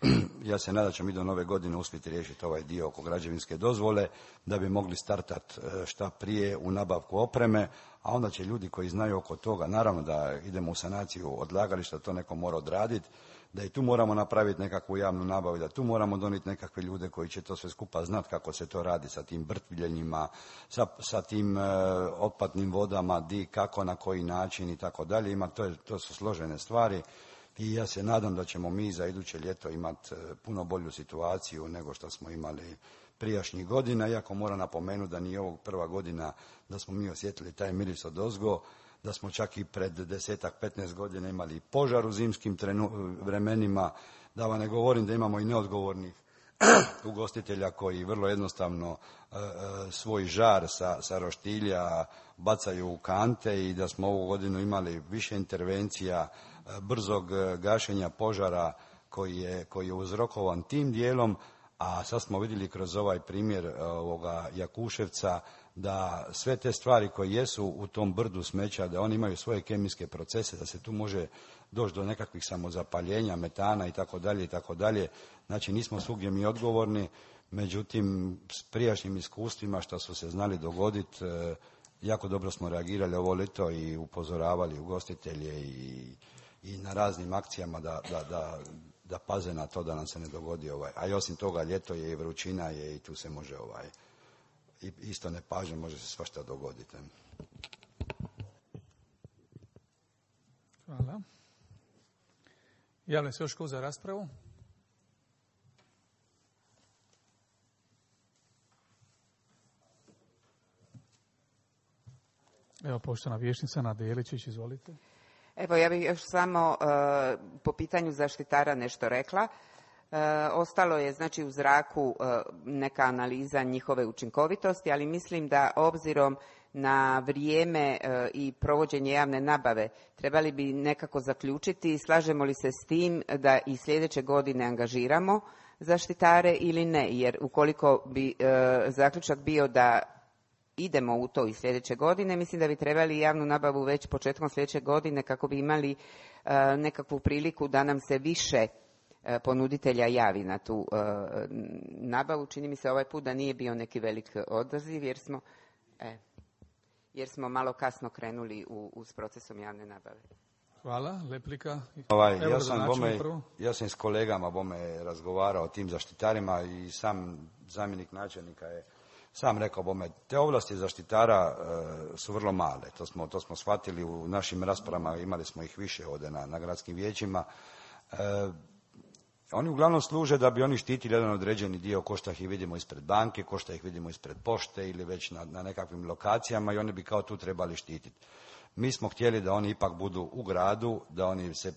ja se nadam da ćemo mi do nove godine uspjeti riješiti ovaj dio oko građevinske dozvole, da bi mogli startati šta prije u nabavku opreme, a onda će ljudi koji znaju oko toga, naravno da idemo u sanaciju odlagališta, to neko mora odraditi, da i tu moramo napraviti nekakvu javnu nabavu, da tu moramo donijeti nekakve ljude koji će to sve skupa znati kako se to radi sa tim brtvljenjima, sa tim otpadnim vodama, kako, na koji način i tako dalje. To su složene stvari i ja se nadam da ćemo mi za iduće ljeto imati puno bolju situaciju nego što smo imali prijašnjih godina, iako moram napomenuti da nije ovog prva godina da smo mi osjetili taj miris odozgo, da smo čak i pred 10-15 godina imali požar u zimskim vremenima, da vam ne govorim da imamo i neodgovornih ugostitelja koji vrlo jednostavno svoj žar sa roštilja bacaju u kante i da smo ovu godinu imali više intervencija, brzog gašenja požara koji je uzrokovan tim dijelom, a sad smo vidjeli kroz ovaj primjer ovoga Jakuševca da sve te stvari koje jesu u tom brdu smeća, da oni imaju svoje kemijske procese, da se tu može doći do nekakvih samozapaljenja, metana i tako dalje. Znači nismo svugdje mi odgovorni, međutim s prijašnjim iskustvima što su se znali dogoditi, jako dobro smo reagirali ovo ljeto i upozoravali ugostitelje i na raznim akcijama da paze na to da nam se ne dogodi a i osim toga ljeto je i vrućina je i tu se može i isto nepažnje može se svašta dogoditi. Hvala. Javlja se još tko za raspravu? Evo, poštovana vijećnica Nada Jeličić, izvolite. Evo, ja bih još samo po pitanju zaštitara nešto rekla. Ostalo je znači u zraku neka analiza njihove učinkovitosti, ali mislim da obzirom na vrijeme i provođenje javne nabave trebali bi nekako zaključiti slažemo li se s tim da i sljedeće godine angažiramo zaštitare ili ne, jer ukoliko bi zaključak bio da idemo u to i sljedeće godine, mislim da bi trebali javnu nabavu već početkom sljedeće godine kako bi imali nekakvu priliku da nam se više ponuditelja javi na tu nabavu. Čini mi se ovaj put da nije bio neki velik odaziv jer smo malo kasno krenuli s procesom javne nabave. Hvala. Replika. Ja sam s kolegama razgovarao o tim zaštitarima i sam zamjenik načelnika je sam rekao te ovlasti zaštitara su vrlo male. To smo shvatili u našim raspravama, imali smo ih više ovdje na gradskim vijećima. Oni uglavnom služe da bi oni štitili jedan određeni dio, ko što ih vidimo ispred banke, ko što ih vidimo ispred pošte ili već na nekakvim lokacijama i oni bi kao tu trebali štititi. Mi smo htjeli da oni ipak budu u gradu, da oni se,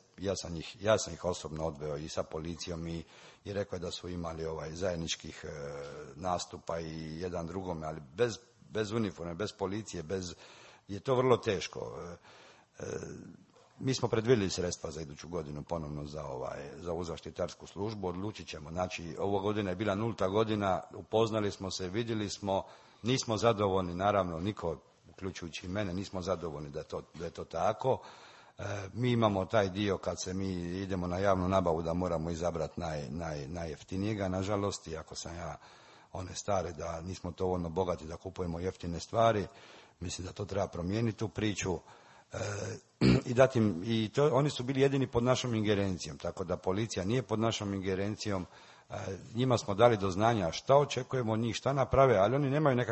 ja sam ih osobno odveo i sa policijom i rekao je da su imali zajedničkih nastupa i jedan drugome, ali bez uniforme, bez policije, je to vrlo teško. Mi smo predvidjeli sredstva za iduću godinu ponovno za ovu zaštitarsku službu, odlučit ćemo. Znači, ova godina je bila 0. godina, upoznali smo se, vidjeli smo, nismo zadovoljni, naravno, niko, uključujući i mene, nismo zadovoljni da je to tako. Mi imamo taj dio kad se mi idemo na javnu nabavu da moramo izabrati najjeftinijega, nažalost, iako sam ja one stare da nismo dovoljno bogati da kupujemo jeftine stvari, mislim da to treba promijeniti tu priču. Oni su bili jedini pod našom ingerencijom, tako da policija nije pod našom ingerencijom. Njima smo dali do znanja šta očekujemo od njih, šta naprave, ali oni nemaju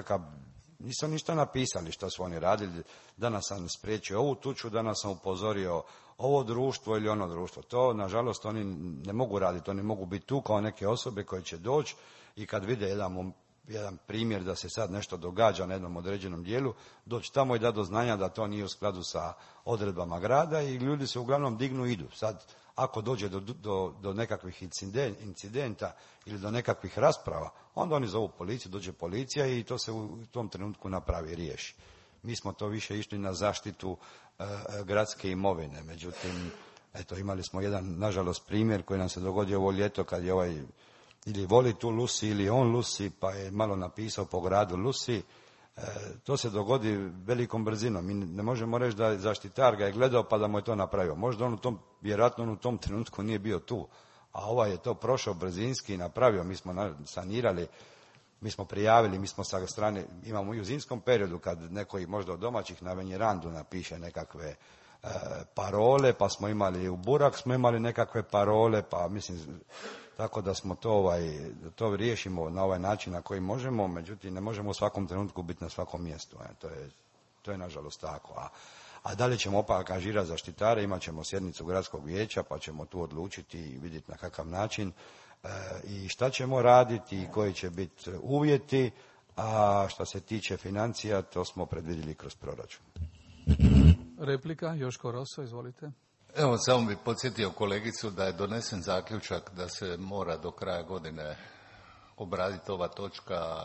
nisu ništa napisali šta su oni radili. Danas sam spriječio ovu tuču, danas sam upozorio ovo društvo ili ono društvo. To, nažalost, oni ne mogu raditi, oni mogu biti tu kao neke osobe koje će doći i kad vide jedan primjer da se sad nešto događa na jednom određenom dijelu, doći tamo i da do znanja da to nije u skladu sa odredbama grada i ljudi se uglavnom dignu i idu. Sad, ako dođe do nekakvih incidenta ili do nekakvih rasprava, onda oni zovu policiju, dođe policija i to se u tom trenutku napravi i riješi. Mi smo to više išli na zaštitu gradske imovine, međutim, eto, imali smo jedan, nažalost, primjer koji nam se dogodio ovo ljeto kad je ili voli tu Lusi ili on Lusi, pa je malo napisao po gradu Lusi. To se dogodi velikom brzinom. Mi ne možemo reći da zaštitar ga je gledao pa da mu je to napravio. Možda vjerojatno on u tom trenutku nije bio tu, a je to prošao brzinski i napravio. Mi smo sanirali, mi smo prijavili, mi smo sa strane, imamo i u zimskom periodu kad neko možda od domaćih na venjerandu napiše nekakve parole, pa smo imali u Burak, smo imali nekakve parole, pa mislim, tako da smo to riješimo na ovaj način na koji možemo, međutim ne možemo u svakom trenutku biti na svakom mjestu. To je nažalost tako. A dalje ćemo opet angažirati zaštitare, imat ćemo sjednicu gradskog vijeća, pa ćemo tu odlučiti i vidjeti na kakav način i šta ćemo raditi i koji će biti uvjeti, a što se tiče financija, to smo predvidjeli kroz proračun. Replika, Joško Roso, izvolite. Evo, samo bih podsjetio kolegicu da je donesen zaključak da se mora do kraja godine obraditi ova točka,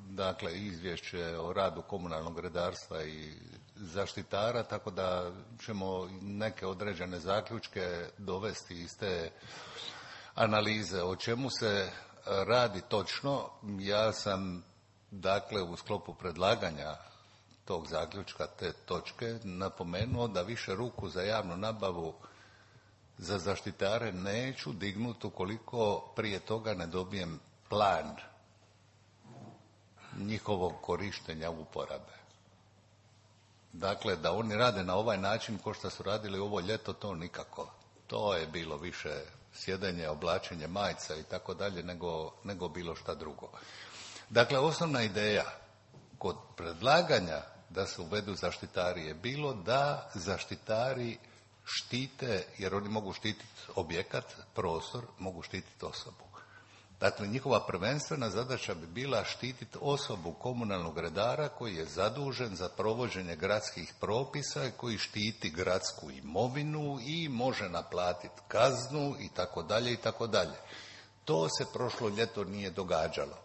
dakle izvješće o radu komunalnog redarstva i zaštitara, tako da ćemo neke određene zaključke dovesti iz te analize. O čemu se radi točno, ja sam dakle u sklopu predlaganja tog zaključka, te točke, napomenuo da više ruku za javnu nabavu za zaštitare neću dignuti ukoliko prije toga ne dobijem plan njihovog korištenja uporabe. Dakle, da oni rade na ovaj način ko što su radili ovo ljeto, to nikako. To je bilo više sjedenje, oblačenje majica i tako dalje nego bilo šta drugo. Dakle, osnovna ideja kod predlaganja da se uvedu zaštitari je bilo da zaštitari štite, jer oni mogu štititi objekat, prostor, mogu štititi osobu. Dakle, njihova prvenstvena zadaća bi bila štititi osobu komunalnog redara koji je zadužen za provođenje gradskih propisa, koji štiti gradsku imovinu i može naplatiti kaznu i tako dalje i tako dalje. To se prošlo ljeto nije događalo.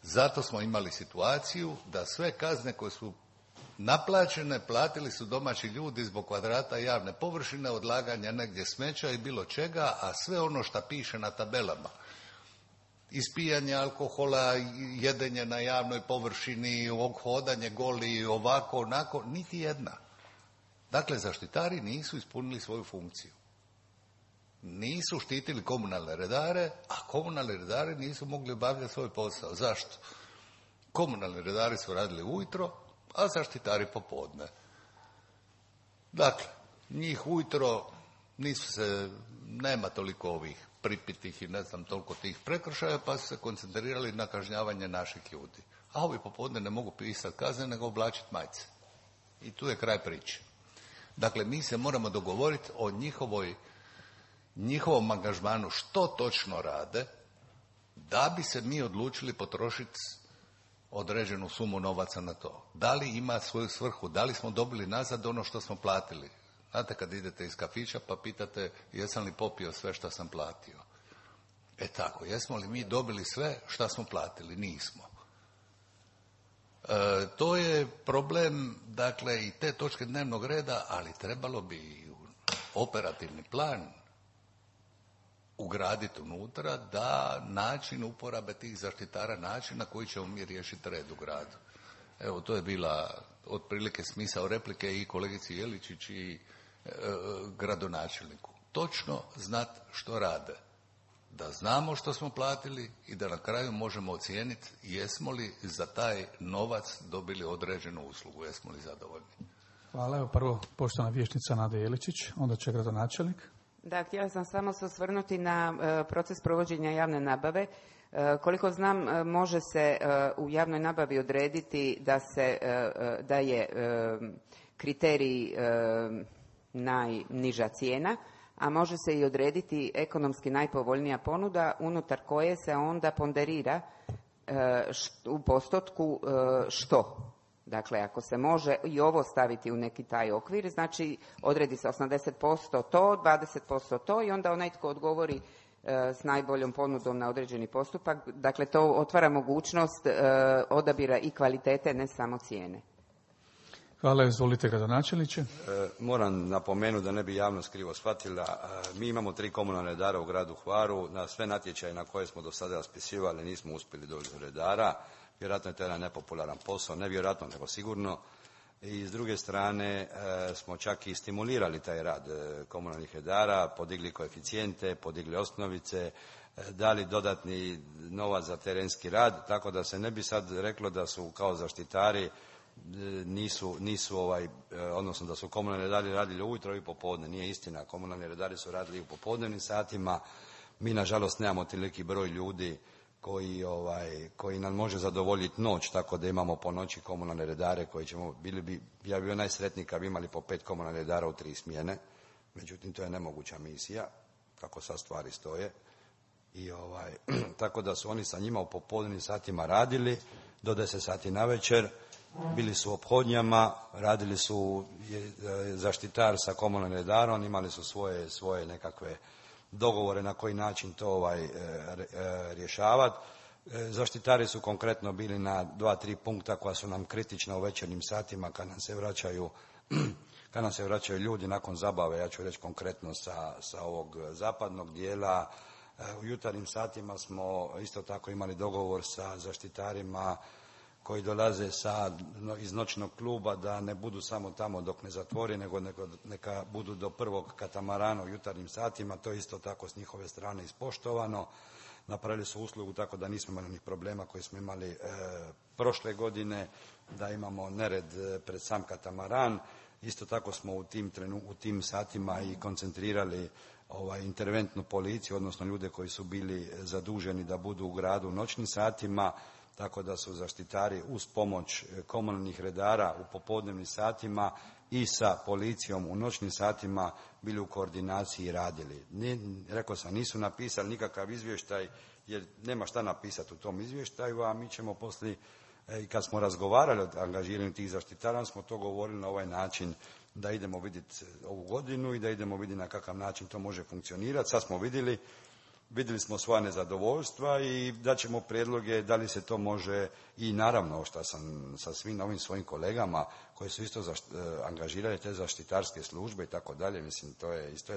Zato smo imali situaciju da sve kazne koje su naplaćene platili su domaći ljudi zbog kvadrata javne površine, odlaganja negdje smeća i bilo čega, a sve ono što piše na tabelama, ispijanje alkohola, jedenje na javnoj površini, hodanje goli, ovako, onako, niti jedna. Dakle, zaštitari nisu ispunili svoju funkciju. Nisu štitili komunalne redare, a komunalni redari nisu mogli obavljati svoj posao. Zašto? Komunalni redari su radili ujutro, a zaštitari popodne. Dakle, njih ujutro nema toliko ovih pripitih i ne znam toliko tih prekršaja, pa su se koncentrirali na kažnjavanje naših ljudi. A ovi popodne ne mogu pisati kazne, nego oblačiti majice. I tu je kraj priče. Dakle, mi se moramo dogovoriti o njihovom angažmanu što točno rade, da bi se mi odlučili potrošiti određenu sumu novaca na to. Da li ima svoju svrhu, da li smo dobili nazad ono što smo platili. Znate, kad idete iz kafića pa pitate jesam li popio sve što sam platio. Tako, jesmo li mi dobili sve što smo platili? Nismo. To je problem, dakle, i te točke dnevnog reda, ali trebalo bi operativni plan ugraditi unutra da način uporabe tih zaštitara, način na koji ćemo mi riješiti red u gradu. Evo, to je bila otprilike smisao replike i kolegici Jeličić i gradonačelniku. Točno znat što rade. Da znamo što smo platili i da na kraju možemo ocijeniti jesmo li za taj novac dobili određenu uslugu, jesmo li zadovoljni. Hvala. Evo prvo poštovana vijećnica Nada Jeličić, onda će gradonačelnik. Da, htjela sam samo se osvrnuti na proces provođenja javne nabave. Koliko znam, može se u javnoj nabavi odrediti da je kriterij najniža cijena, a može se i odrediti ekonomski najpovoljnija ponuda unutar koje se onda ponderira u postotku što. Dakle, ako se može i ovo staviti u neki taj okvir, znači odredi se 80% to, 20% to i onda onaj tko odgovori s najboljom ponudom na određeni postupak. Dakle, to otvara mogućnost odabira i kvalitete, ne samo cijene. Hvala, izvolite gradonačelniče. Moram napomenuti da ne bi javnost krivo shvatila. Mi imamo 3 komunalne redara u gradu Hvaru. Na sve natječaje na koje smo do sada raspisivali nismo uspjeli doći do redara. Vjerojatno je to jedan nepopularan posao, ne vjerojatno nego sigurno. I s druge strane smo čak i stimulirali taj rad komunalnih redara, podigli koeficijente, podigli osnovice, dali dodatni novac za terenski rad, tako da se ne bi sad reklo da su kao zaštitari odnosno da su komunalni redari radili ujutro i popodne. Nije istina, komunalni redari su radili u popodnevnim satima. Mi nažalost nemamo toliki broj ljudi koji nam može zadovoljiti noć, tako da imamo po noći komunalne redare koji ćemo, ja bi bio najsretniji kad bi imali po 5 komunalnih redara u 3 smjene, međutim to je nemoguća misija, kako sad stvari stoje. I tako da su oni sa njima u popodnevnim satima radili do 10 sati navečer, bili su u ophodnjama, radili su zaštitar sa komunalnim redarom, imali su svoje nekakve dogovore na koji način to rješavati. Zaštitari su konkretno bili na 2-3 punkta koja su nam kritična u večernjim satima kad nam se vraćaju ljudi nakon zabave, ja ću reći konkretno sa ovog zapadnog dijela. U jutarnjim satima smo isto tako imali dogovor sa zaštitarima koji dolaze iz noćnog kluba da ne budu samo tamo dok ne zatvori, nego neka budu do prvog katamarana u jutarnjim satima. To je isto tako s njihove strane ispoštovano. Napravili su uslugu tako da nismo imali onih problema koje smo imali prošle godine, da imamo nered pred sam katamaran. Isto tako smo u tim satima i koncentrirali interventnu policiju, odnosno ljude koji su bili zaduženi da budu u gradu u noćnim satima, tako da su zaštitari uz pomoć komunalnih redara u popodnevnim satima i sa policijom u noćnim satima bili u koordinaciji i radili. Rekao sam, nisu napisali nikakav izvještaj jer nema šta napisati u tom izvještaju, a mi ćemo poslije, i kad smo razgovarali o angažiranju tih zaštitara, smo to govorili na ovaj način da idemo vidjeti ovu godinu i da idemo vidjeti na kakav način to može funkcionirati. Sad smo vidjeli smo svoja nezadovoljstva i daćemo prijedloge da li se to može, i naravno što sam sa svim ovim svojim kolegama koji su isto angažirali te zaštitarske službe i tako dalje, mislim to je isto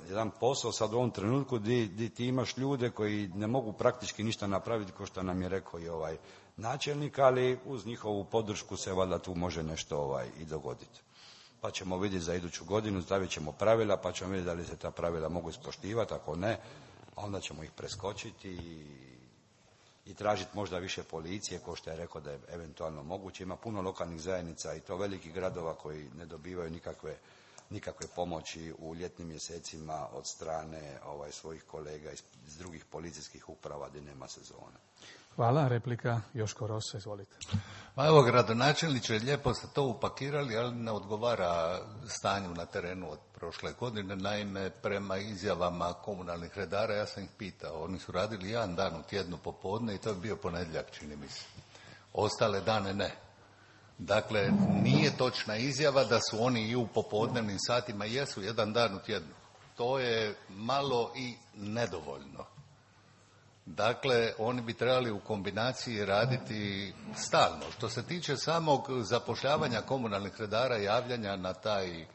jedan posao sad u ovom trenutku gdje ti imaš ljude koji ne mogu praktički ništa napraviti, kao što nam je rekao i ovaj načelnik, ali uz njihovu podršku se valjda tu može nešto i dogoditi. Pa ćemo vidjeti za iduću godinu, stavit ćemo pravila, pa ćemo vidjeti da li se ta pravila mogu ispoštivati, ako ne, onda ćemo ih preskočiti i tražiti možda više policije, kao što je rekao da je eventualno moguće. Ima puno lokalnih zajednica i to velikih gradova koji ne dobivaju nikakve pomoći u ljetnim mjesecima od strane svojih kolega iz drugih policijskih uprava gdje nema sezone. Hvala. Replika Joško Rosa, izvolite. Pa evo, gradonačelniče, lijepo ste to upakirali, ali ne odgovara stanju na terenu od prošle godine. Naime, prema izjavama komunalnih redara, ja sam ih pitao, oni su radili jedan dan u tjednu popodne i to je bio ponedjeljak, čini mi se. Ostale dane ne. Dakle, nije točna izjava da su oni i u popodnevnim satima, jesu jedan dan u tjednu. To je malo i nedovoljno. Dakle, oni bi trebali u kombinaciji raditi stalno. Što se tiče samog zapošljavanja komunalnih redara, javljanja na taj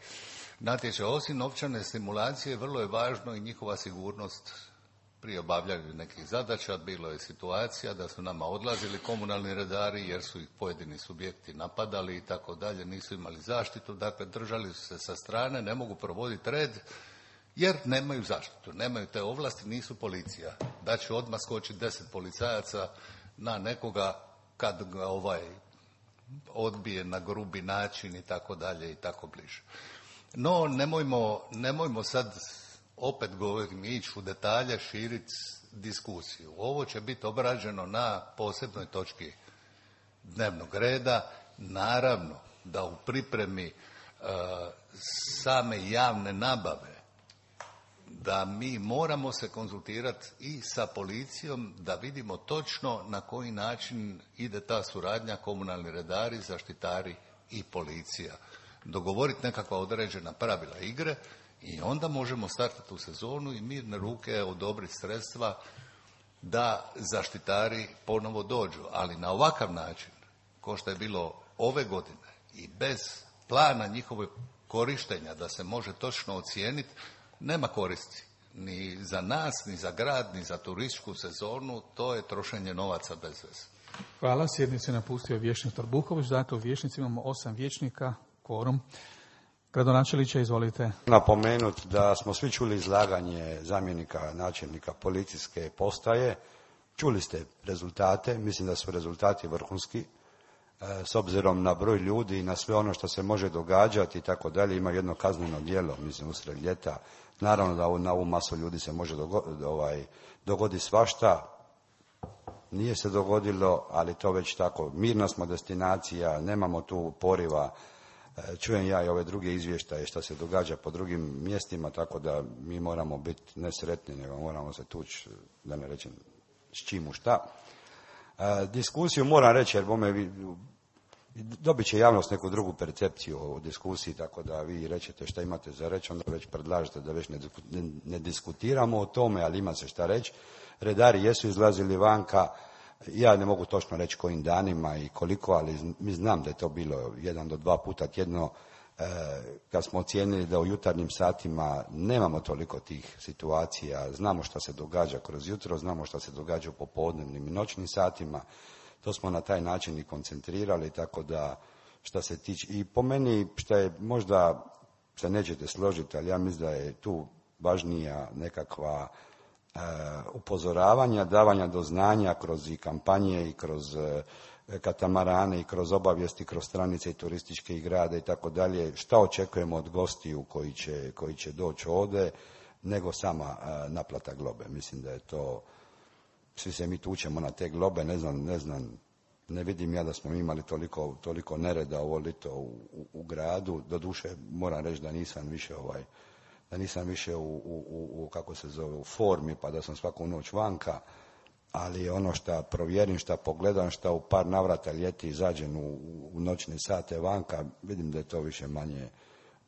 natječaj, osim novčane stimulacije, vrlo je važno i njihova sigurnost pri obavljanju nekih zadaća. Bilo je situacija da su nama odlazili komunalni redari jer su ih pojedini subjekti napadali i tako dalje, nisu imali zaštitu, dakle držali su se sa strane, ne mogu provoditi red jer nemaju zaštitu, nemaju te ovlasti, nisu policija. Da će odmah skočiti 10 policajaca na nekoga kad ga odbije na grubi način i tako dalje i tako bliže. No, nemojmo sad, opet govorim, ići u detalje, širiti diskusiju. Ovo će biti obrađeno na posebnoj točki dnevnog reda. Naravno da u pripremi same javne nabave da mi moramo se konzultirati i sa policijom da vidimo točno na koji način ide ta suradnja komunalni redari, zaštitari i policija. Dogovoriti nekakva određena pravila igre i onda možemo startati u sezonu i mirne ruke odobriti sredstva da zaštitari ponovo dođu. Ali na ovakav način, ko što je bilo ove godine i bez plana njihove korištenja da se može točno ocijeniti, nema koristi ni za nas, ni za grad, ni za turističku sezonu. To je trošenje novaca bez veze. Hvala. Sjednicu je napustio vijećnik Trbuković. Dakle, u vijećnici imamo 8 vijećnika, kvorum. Gradonačelniče, izvolite. Napomenuti da smo svi čuli izlaganje zamjenika načelnika policijske postaje. Čuli ste rezultate, mislim da su rezultati vrhunski. S obzirom na broj ljudi i na sve ono što se može događati i tako dalje, ima jedno kazneno djelo, mislim, usred ljeta. Naravno da na ovu masu ljudi se može dogoditi svašta. Nije se dogodilo, ali to već tako. Mirna smo destinacija, nemamo tu poriva. Čujem ja i ove druge izvještaje što se događa po drugim mjestima, tako da mi moramo biti nesretni, nego moramo se tući, da ne rečem s čim u šta. Diskusiju moram reći, jer dobit će javnost neku drugu percepciju o diskusiji, tako da vi rećete šta imate za reći, onda već predlažete da već ne diskutiramo o tome, ali ima se šta reći. Redari jesu izlazili vanka, ja ne mogu točno reći kojim danima i koliko, ali mi znam da je to bilo 1 do 2 puta tjedno, kad smo ocijenili da u jutarnjim satima nemamo toliko tih situacija, znamo šta se događa kroz jutro, znamo šta se događa u popodnevnim i noćnim satima, to smo na taj način i koncentrirali, tako da šta se tiče, i po meni šta je, možda se nećete složiti, ali ja mislim da je tu važnija nekakva upozoravanja, davanja do znanja kroz i kampanje i kroz katamarane i kroz obavijesti, kroz stranice i turističke i grade i tako dalje, šta očekujemo od gostiju koji će doći ovdje, nego sama naplata globe. Mislim da je to, svi se mi tučemo na te globe, ne znam, ne vidim ja da smo imali toliko nereda ovo lito u gradu. Doduše moram reći da nisam više u kako se zove, u formi, pa da sam svaku noć vanka, ali ono šta provjerim, šta pogledam, šta u par navrata ljeti izađem u noćne sate vanka, vidim da je to više manje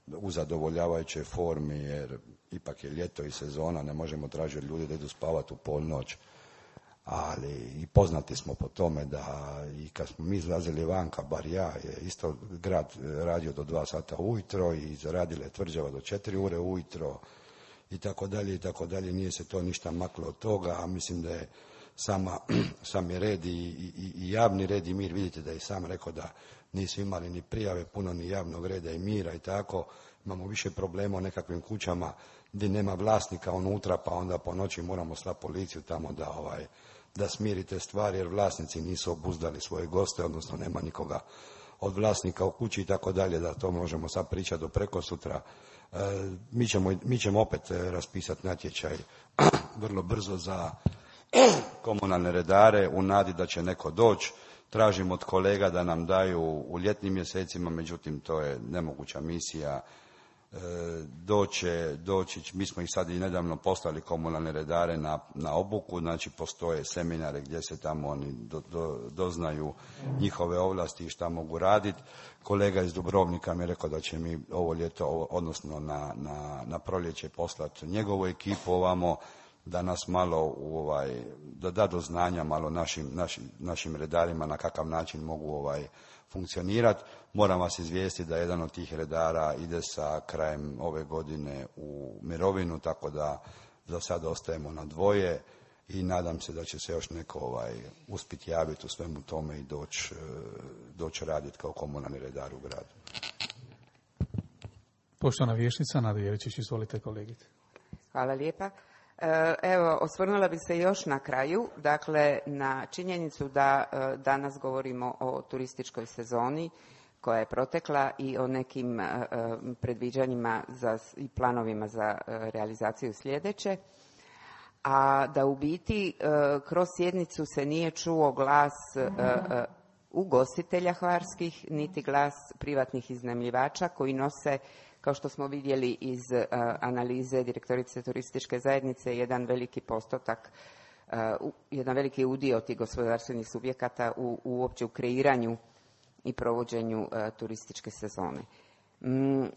u zadovoljavajućoj formi, jer ipak je ljeto i sezona, ne možemo tražiti od ljudi da idu spavati u polnoć, ali i poznati smo po tome da i kad smo mi izlazili vanka, bar ja, je isto grad radio do 2 sata ujutro i zaradila je tvrđava do 4 ure ujutro i tako dalje, nije se to ništa maklo od toga, a mislim da je sami red i javni red i mir, vidite da je sam rekao da nisu imali ni prijave, puno ni javnog reda i mira i tako, imamo više problema u nekakvim kućama gdje nema vlasnika unutra, pa onda po noći moramo slati policiju tamo da smirite stvari, jer vlasnici nisu obuzdali svoje goste, odnosno nema nikoga od vlasnika u kući i tako dalje, da to možemo sad pričati do prekosutra. Mi ćemo opet raspisati natječaj vrlo brzo za komunalne redare u nadi da će neko doći. Tražimo od kolega da nam daju u ljetnim mjesecima, međutim to je nemoguća misija. Doći, mi smo ih sad i nedavno poslali komunalne redare na obuku, znači postoje seminare gdje se tamo oni doznaju njihove ovlasti i šta mogu raditi. Kolega iz Dubrovnika mi je rekao da će mi ovo ljeto, odnosno na proljeće poslati njegovu ekipu ovamo, da nas malo da do znanja malo našim redarima na kakav način mogu funkcionirati. Moram vas izvijestiti da jedan od tih redara ide sa krajem ove godine u mirovinu, tako da za sad ostajemo na dvoje i nadam se da će se još neko uspjeti javiti u svemu tome i doći raditi kao komunalni redar u gradu. Poštovana vijećnica Nada Jeličić, izvolite kolegice. Hvala lijepa. Evo, osvrnula bi se još na kraju, dakle, na činjenicu da danas govorimo o turističkoj sezoni koja je protekla i o nekim predviđanjima i planovima za realizaciju sljedeće, a da u biti kroz sjednicu se nije čuo glas ugostitelja hvarskih, niti glas privatnih iznajmljivača koji nose, kao što smo vidjeli iz analize direktorice turističke zajednice, jedan veliki postotak, jedan veliki udio tih gospodarstvenih subjekata uopće u kreiranju i provođenju turističke sezone.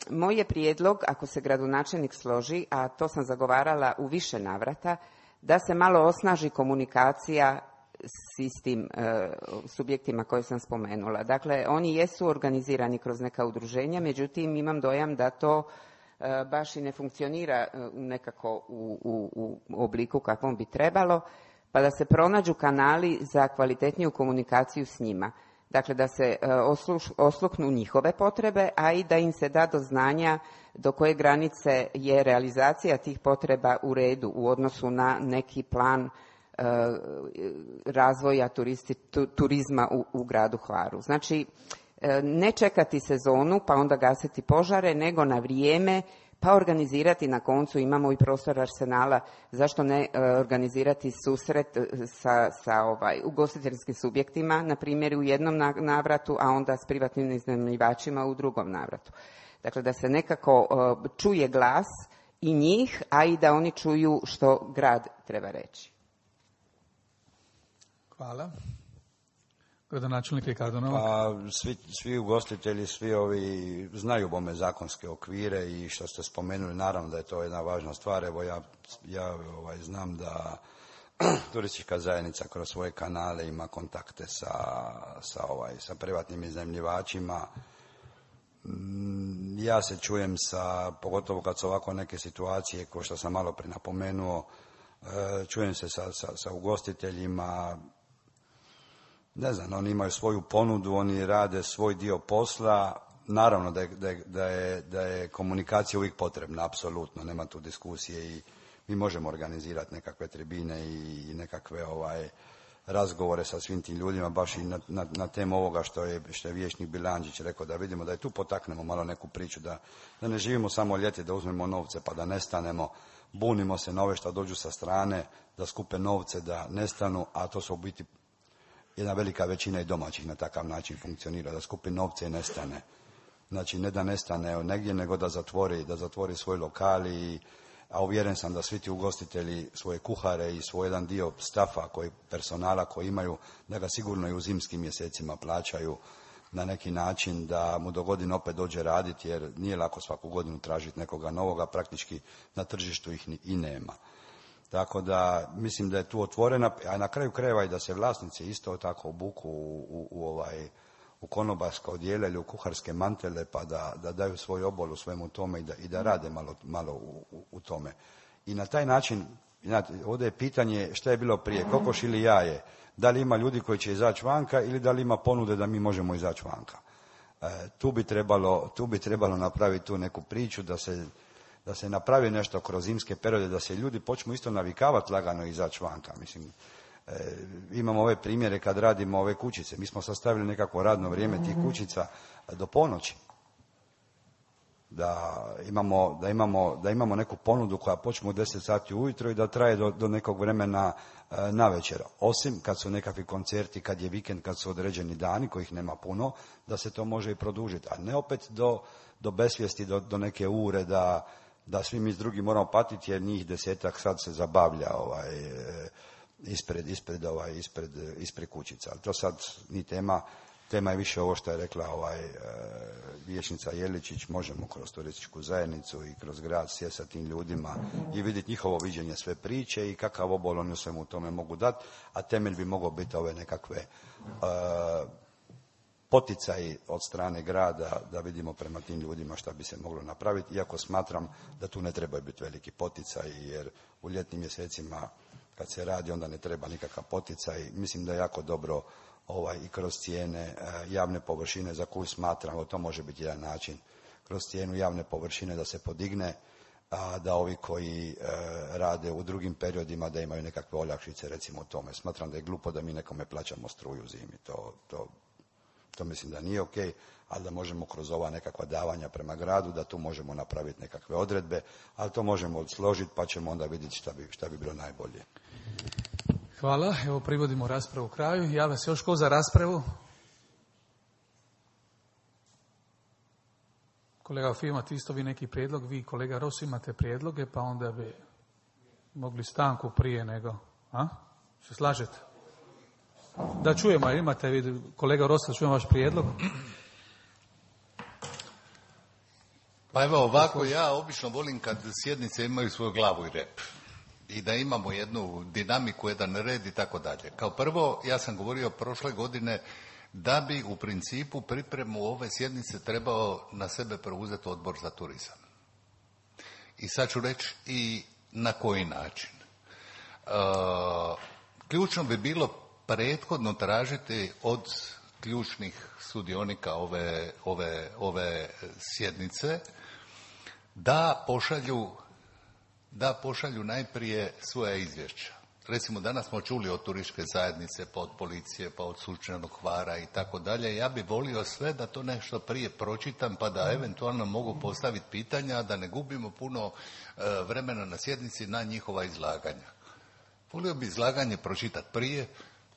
Moj je prijedlog, ako se gradonačelnik složi, a to sam zagovarala u više navrata, da se malo osnaži komunikacija s istim subjektima koje sam spomenula. Dakle, oni jesu organizirani kroz neka udruženja, međutim imam dojam da to baš i ne funkcionira nekako u obliku kakvom bi trebalo, pa da se pronađu kanali za kvalitetniju komunikaciju s njima. Dakle, da se osluhnu njihove potrebe, a i da im se da do znanja do koje granice je realizacija tih potreba u redu u odnosu na neki plan razvoja turizma u gradu Hvaru. Znači, ne čekati sezonu pa onda gasiti požare, nego na vrijeme pa organizirati, na koncu imamo i prostor Arsenala, zašto ne organizirati susret sa ugostiteljskim subjektima, na primjer u jednom navratu, a onda s privatnim iznajmljivačima u drugom navratu. Dakle, da se nekako čuje glas i njih, a i da oni čuju što grad treba reći. Hvala. Gradonačelnik Ricardo Novak. Pa, svi ugostitelji, svi ovi znaju bome zakonske okvire i što ste spomenuli, naravno da je to jedna važna stvar. Evo ja znam da turistička zajednica kroz svoje kanale ima kontakte sa privatnim iznajmljivačima. Ja se čujem pogotovo kad su ovako neke situacije, kao što sam malo prije napomenuo, čujem se sa ugostiteljima. Ne znam, oni imaju svoju ponudu, oni rade svoj dio posla. Naravno da je komunikacija uvijek potrebna, apsolutno, nema tu diskusije i mi možemo organizirati nekakve tribine i nekakve razgovore sa svim tim ljudima, baš i na temu ovoga što je vijećnik Bilandžić rekao, da vidimo da i tu potaknemo malo neku priču, da ne živimo samo ljeti, da uzmemo novce pa da nestanemo, bunimo se na ove što dođu sa strane, da skupe novce, da nestanu, a to su u biti jedna velika većina i domaćih na takav način funkcionira, da skupi novce i nestane. Znači, ne da nestane negdje, nego da zatvori svoj lokal, a uvjeren sam da svi ti ugostitelji svoje kuhare i svoj jedan dio stafa, personala koji imaju, da ga sigurno i u zimskim mjesecima plaćaju na neki način, da mu do godine opet dođe raditi, jer nije lako svaku godinu tražiti nekoga novoga, praktički na tržištu ih i nema. Tako da mislim da je tu otvorena, a na kraju krajeva i da se vlasnici isto tako obuku u konobarska odijela ili u kuharske mantele, pa da daju svoj obol u svemu tome i da rade malo u tome. I na taj način, ovdje je pitanje šta je bilo prije, kokoš ili jaje, da li ima ljudi koji će izaći vanka ili da li ima ponude da mi možemo izaći vanka. Tu bi trebalo napraviti tu neku priču da se napravi nešto kroz zimske periode, da se ljudi počnu isto navikavati lagano izaći vanka. Mislim, imamo ove primjere kad radimo ove kućice. Mi smo sastavili nekako radno vrijeme tih kućica do ponoći. da imamo neku ponudu koja počne u 10 sati ujutro i da traje do nekog vremena na večer. Osim kad su nekakvi koncerti, kad je vikend, kad su određeni dani kojih nema puno, da se to može i produžiti. A ne opet do besvijesti, do neke ure da svi mi s drugim moramo patiti jer njih 10-ak sad se zabavlja ispred kućica. Ali to sad ni tema. Tema je više ovo što je rekla vijećnica Jeličić, možemo kroz turističku zajednicu i kroz grad sjesti sa tim ljudima i vidjeti njihovo viđenje sve priče i kakav obol oni svemu tome mogu dati, a temelj bi mogao biti ove nekakve poticaji od strane grada da vidimo prema tim ljudima šta bi se moglo napraviti, iako smatram da tu ne trebaju biti veliki poticaji, jer u ljetnim mjesecima kad se radi onda ne treba nikakav poticaj. Mislim da je jako dobro i kroz cijene javne površine za koju smatramo, to može biti jedan način, kroz cijenu javne površine da se podigne, a da ovi koji rade u drugim periodima da imaju nekakve olakšice, recimo o tome. Smatram da je glupo da mi nekome plaćamo struju zimi, to mislim da nije ok, ali da možemo kroz ova nekakva davanja prema gradu, da tu možemo napraviti nekakve odredbe, ali to možemo složiti pa ćemo onda vidjeti šta bi bilo najbolje. Hvala. Evo privodimo raspravu kraju. Javlja se još ko za raspravu? Kolega Fima, ti isto vi neki prijedlog, vi kolega Ros imate prijedloge, pa onda bi mogli stanku prije nego. Se slažete? Da čujemo, imate vi, kolega Ros, da čujemo vaš prijedlog. Pa evo ovako, ja obično volim kad sjednice imaju svoju glavu i rep. I da imamo jednu dinamiku, jedan red i tako dalje. Kao prvo, ja sam govorio prošle godine da bi u principu pripremu ove sjednice trebao na sebe preuzeti Odbor za turizam. I sad ću reći i na koji način. Ključno bi bilo prethodno tražiti od ključnih sudionika ove sjednice da pošalju najprije svoja izvješća. Recimo, danas smo čuli od turističke zajednice, pa od policije, pa od Sunčanog Hvara i tako dalje. Ja bih volio sve da to nešto prije pročitam, pa da eventualno mogu postaviti pitanja, da ne gubimo puno vremena na sjednici na njihova izlaganja. Volio bi izlaganje pročitati prije,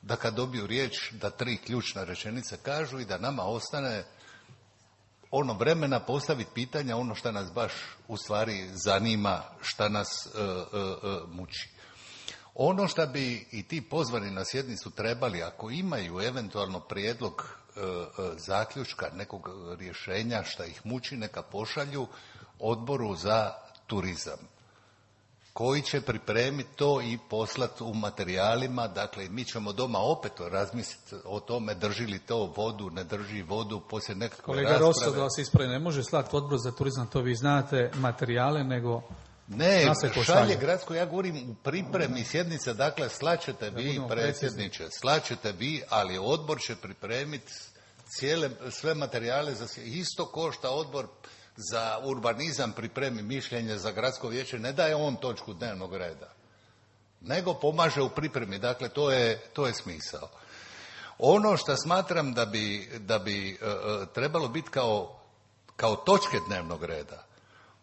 da kad dobiju riječ, da 3 ključne rečenice kažu i da nama ostane ono vremena postaviti pitanja, ono što nas baš u stvari zanima, šta nas muči. Ono što bi i ti pozvani na sjednicu trebali, ako imaju eventualno prijedlog zaključka, nekog rješenja šta ih muči, neka pošalju Odboru za turizam, koji će pripremiti to i poslati u materijalima. Dakle, mi ćemo doma opet razmisliti o tome drži li to vodu, ne drži vodu, poslije nekakve kolega rasprave. Rosso, da vas ispravi, ne može slati Odbor za turizam, to vi znate, materijale, nego ne, šalje gradsko, ja govorim u pripremi sjednice, dakle, slaćete vi, predsjedniče, slaćete vi, ali odbor će pripremiti sve materijale, isto košta Odbor za urbanizam pripremi mišljenje za gradsko vijeće, ne daje on točku dnevnog reda, nego pomaže u pripremi. Dakle, to je smisao. Ono što smatram da bi trebalo biti kao točke dnevnog reda,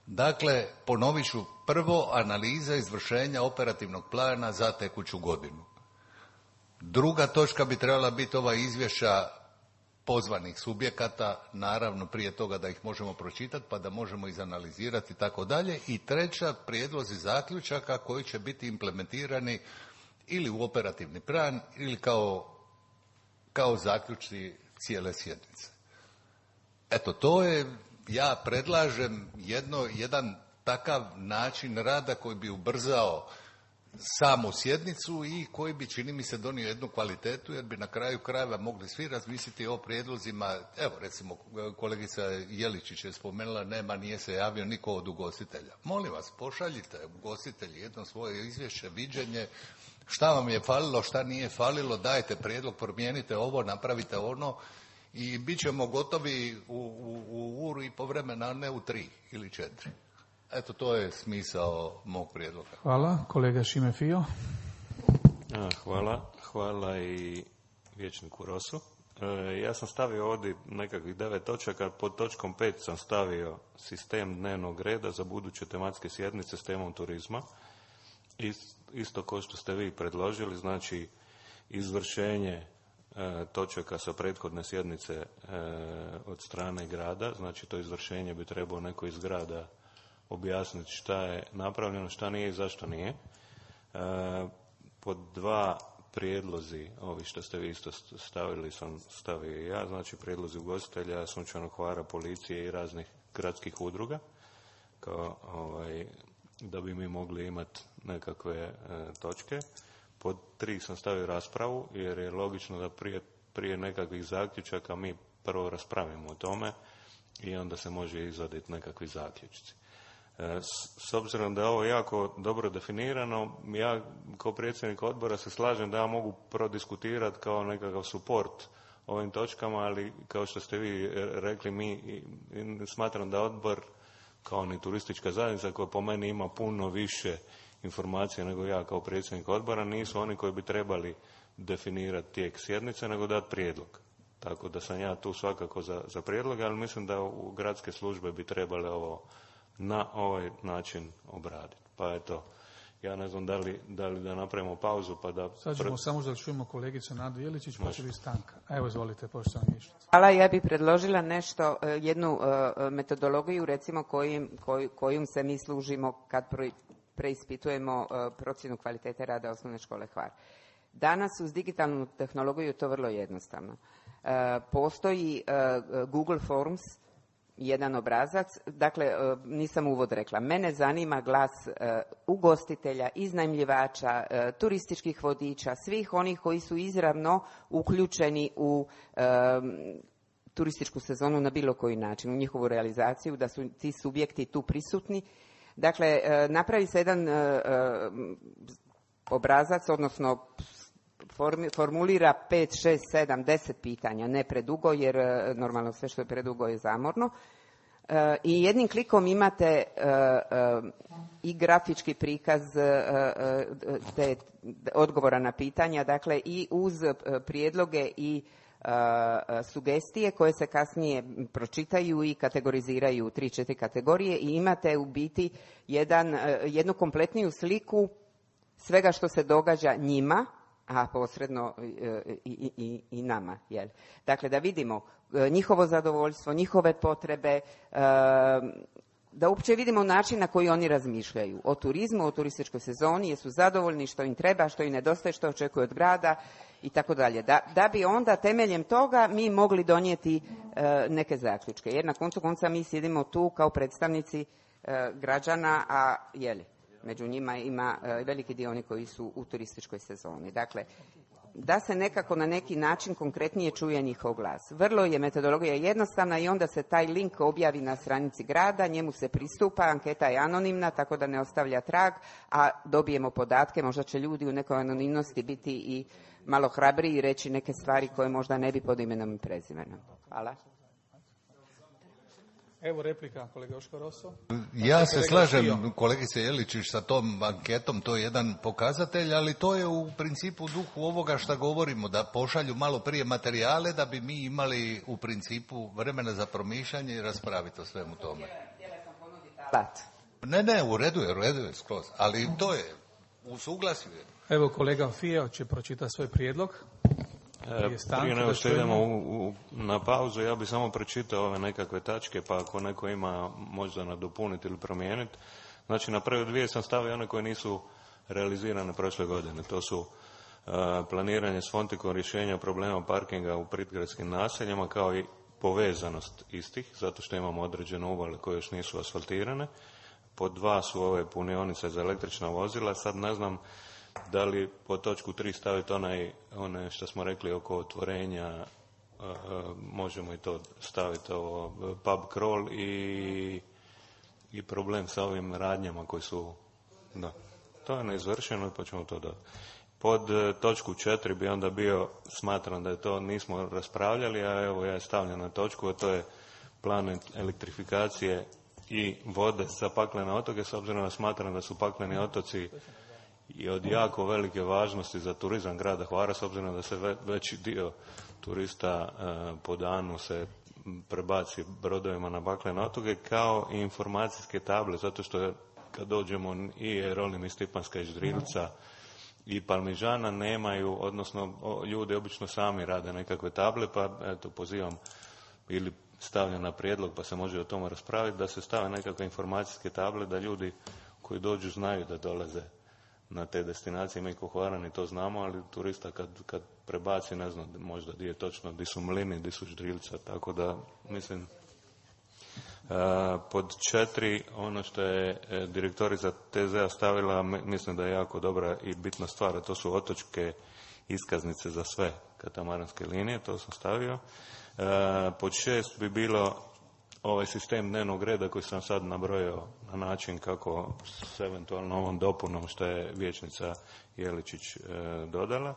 dakle, ponovit ću, prvo analiza izvršenja operativnog plana za tekuću godinu. Druga točka bi trebala biti ova izvješća pozvanih subjekata, naravno prije toga da ih možemo pročitati pa da možemo izanalizirati i tako dalje. I treća, prijedlozi zaključaka koji će biti implementirani ili u operativni plan ili kao zaključci cijele sjednice. Eto, to je, ja predlažem jedan takav način rada koji bi ubrzao samu sjednicu i koji bi, čini mi se, donio jednu kvalitetu, jer bi na kraju krajeva mogli svi razmisliti o prijedlozima. Evo, recimo, kolegica Jeličić je spomenula, nije se javio niko od ugostitelja. Molim vas, pošaljite ugostitelji jedno svoje izvješće, viđenje, šta vam je falilo, šta nije falilo, dajte prijedlog, promijenite ovo, napravite ono i bit ćemo gotovi u uru i po vremena, a ne u 3 ili 4. Eto, to je smisao mog prijedloga. Hvala. Kolega Šime Fio. Hvala i vijećniku Rosu. Ja sam stavio ovdje nekakvih 9 točaka, pod točkom 5 sam stavio sistem dnevnog reda za buduće tematske sjednice s temom turizma. Isto kao što ste vi predložili, znači izvršenje točaka sa prethodne sjednice od strane grada, znači to izvršenje bi trebao neko iz grada objasniti šta je napravljeno, šta nije i zašto nije. Pod 2 prijedlozi, ovi što ste vi isto stavili, sam stavio i ja, znači prijedlozi ugostitelja, Sunčanog Hvara, policije i raznih gradskih udruga, kao da bi mi mogli imati nekakve točke. Pod 3 sam stavio raspravu, jer je logično da prije nekakvih zaključaka mi prvo raspravimo o tome i onda se može izvaditi nekakvi zaključci. S obzirom da je ovo jako dobro definirano, ja kao predsjednik odbora se slažem da ja mogu prodiskutirati kao nekakav suport ovim točkama, ali kao što ste vi rekli, mi smatram da odbor, kao ni turistička zajednica koja po meni ima puno više informacija nego ja kao predsjednik odbora, nisu oni koji bi trebali definirati tijek sjednice, nego dati prijedlog. Tako da sam ja tu svakako za prijedlog, ali mislim da u gradske službe bi trebale ovo na ovaj način obraditi. Pa eto, ja ne znam da li da napravimo pauzu pa da... Sad ćemo samo da čujemo kolegicu Nadu Jeličić, pa će biti stanka. Evo, izvolite, poštovana Mišnica. Hvala, ja bih predložila nešto, jednu metodologiju, recimo kojom se mi služimo kad preispitujemo procjenu kvalitete rada osnovne škole Hvar. Danas uz digitalnu tehnologiju je to vrlo jednostavno. Postoji Google Forms, jedan obrazac, dakle nisam uvod rekla, mene zanima glas ugostitelja, iznajmljivača, turističkih vodiča, svih onih koji su izravno uključeni u turističku sezonu na bilo koji način, u njihovu realizaciju, da su ti subjekti tu prisutni. Dakle, napravi se jedan obrazac, odnosno formulira 5, 6, 7, 10 pitanja, ne predugo, jer normalno sve što je predugo je zamorno. I jednim klikom imate i grafički prikaz te odgovora na pitanja, dakle i uz prijedloge i sugestije koje se kasnije pročitaju i kategoriziraju u 3-4 kategorije i imate u biti jednu kompletniju sliku svega što se događa njima, a posredno i nama. Jel? Dakle, da vidimo njihovo zadovoljstvo, njihove potrebe, da uopće vidimo način na koji oni razmišljaju o turizmu, o turističkoj sezoni, jesu zadovoljni, što im treba, što im nedostaje, što očekuju od grada i tako dalje. Da bi onda temeljem toga mi mogli donijeti neke zaključke. Jer na koncu konca mi sjedimo tu kao predstavnici građana, a među njima ima veliki dio oni koji su u turističkoj sezoni. Dakle, da se nekako na neki način konkretnije čuje njihov glas. Vrlo je metodologija jednostavna i onda se taj link objavi na stranici grada, njemu se pristupa, anketa je anonimna, tako da ne ostavlja trag, a dobijemo podatke, možda će ljudi u nekoj anonimnosti biti i malo hrabriji i reći neke stvari koje možda ne bi pod imenom i prezimenom. Hvala. Evo replika, kolega Joško Roso. Ja se slažem, kolegice Jeličić, sa tom anketom, to je jedan pokazatelj, ali to je u principu duhu ovoga što govorimo, da pošalju malo prije materijale, da bi mi imali u principu vremena za promišljanje i raspraviti o svemu tome. Ne, u redu je skroz, ali to je u suglasju. Evo kolega Fijeo će pročitati svoj prijedlog. Prije nego što idemo na pauzu, ja bih samo pročitao ove nekakve tačke, pa ako neko ima možda nadopuniti ili promijeniti. Znači, na prve 2 sam stavio one koje nisu realizirane prošle godine. To su planiranje s fontikom rješenja problema parkinga u prigradskim naseljima, kao i povezanost istih, zato što imamo određene uvale koje još nisu asfaltirane. Pod 2 su ove punionice za električna vozila. Sad ne znam da li po točku 3 staviti one što smo rekli oko otvorenja, možemo i to staviti, pub crawl i problem sa ovim radnjama koji su, da, to je neizvršeno pa ćemo to dati. Pod točku 4 bi onda bio, smatram da je to nismo raspravljali, a evo ja je stavljam na točku, a to je plan elektrifikacije i vode za paklene otoke, s obzirom da smatram da su pakleni otoci je od jako velike važnosti za turizam grada Hvara, s obzirom da se veći dio turista po danu se prebaci brodovima na baklene otoke, kao i informacijske table, zato što kad dođemo i Jerolim i Stipanska i Ždrilca i Palmižana nemaju, odnosno ljudi obično sami rade nekakve table, pa eto pozivam ili stavljam na prijedlog, pa se može o tome raspraviti, da se stave nekakve informacijske table, da ljudi koji dođu znaju da dolaze na te destinacije. Mi ko Hvarani to znamo, ali turista kad prebaci, ne znam možda gdje je točno, gdje su Mlini, gdje su Ždrilca, tako da mislim. Pod 4, ono što je direktorica TZ-a stavila, mislim da je jako dobra i bitna stvar, a to su otočke iskaznice za sve katamaranske linije, to sam stavio. Pod 6 bi bilo ovaj sistem dnevnog reda koji sam sad nabrojao na način kako s eventualno ovom dopunom što je vijećnica Jeličić dodala.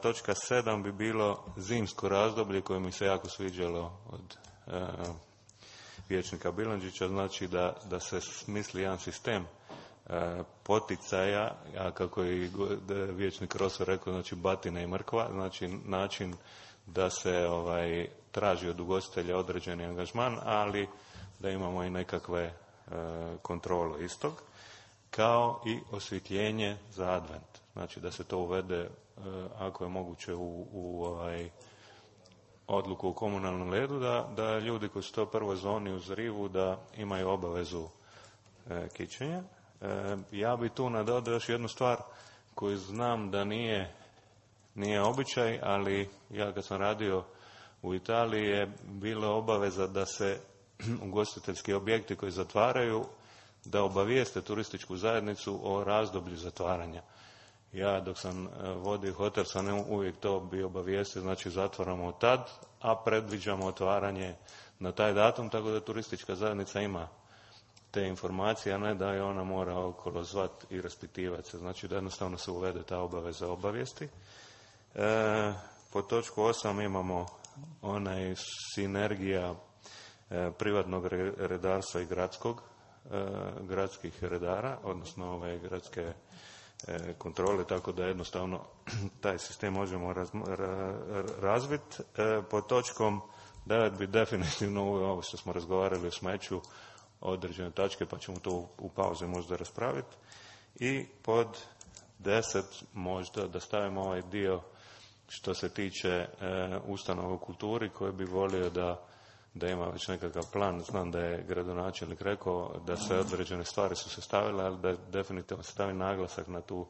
Točka 7 bi bilo zimsko razdoblje koje mi se jako sviđalo od vijećnika Bilandžića, znači da se smisli jedan sistem poticaja, a kako je vijećnik Roso rekao, znači batina i mrkva, znači način da se traži od ugostitelja određeni angažman, ali da imamo i nekakve kontrole istog, kao i osvjetljenje za advent. Znači da se to uvede, ako je moguće, u odluku o komunalnom redu, da ljudi koji su to prvoj zoni uz rivu, da imaju obavezu kićenja. Ja bi tu nadodao još jednu stvar koju znam da nije običaj, ali ja kad sam radio u Italiji je bila obaveza da se ugostiteljski objekti koji zatvaraju, da obavijeste turističku zajednicu o razdoblju zatvaranja. Ja dok sam vodio hotel sam uvijek to bio obavijestio, znači zatvaramo tad, a predviđamo otvaranje na taj datum, tako da turistička zajednica ima te informacije, a ne da je ona mora okolo zvat i raspitivati se. Znači da jednostavno se uvede ta obaveza obavijesti. Po točku 8 imamo onaj sinergija privatnog redarstva i gradskih redara, odnosno gradske kontrole, tako da jednostavno taj sistem možemo razviti. Pod točkom 9 bi definitivno ovo što smo razgovarali o smeću određene tačke, pa ćemo to u pauzi možda raspraviti. I pod 10 možda da stavimo ovaj dio što se tiče ustanova u kulturi, koji bi volio da ima već nekakav plan. Znam da je gradonačelnik rekao da sve određene stvari su se stavile, ali da definitivno se stavi naglasak na tu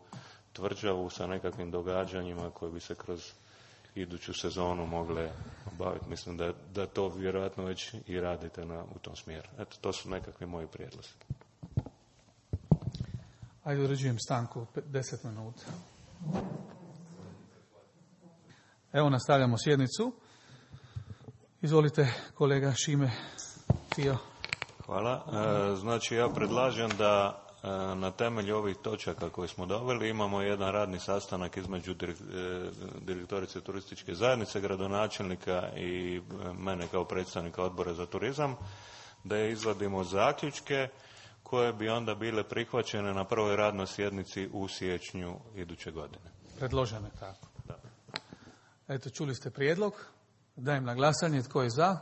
tvrđavu sa nekakvim događanjima koje bi se kroz iduću sezonu mogle obaviti. Mislim da to vjerojatno već i radite u tom smjeru. Eto, to su nekakvi moji prijedlozi. Ajde, uređujem stanku 10 minuta. Evo, nastavljamo sjednicu. Izvolite, kolega Šime Fio. Hvala. Znači, ja predlažem da na temelju ovih točaka koje smo doveli imamo jedan radni sastanak između direktorice turističke zajednice, gradonačelnika i mene kao predstavnika odbora za turizam, da je izvadimo zaključke koje bi onda bile prihvaćene na prvoj radnoj sjednici u siječnju iduće godine. Predložene tako. Da. Eto, čuli ste prijedlog. Dajem na glasanje. Tko je za?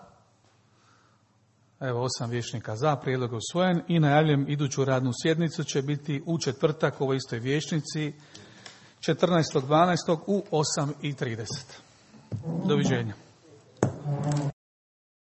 Evo, 8 vijećnika za. Prijedlog je usvojen i najavljujem iduću radnu sjednicu će biti u četvrtak u ovoj istoj vijećnici 14.12. u 8:30. Doviđenja.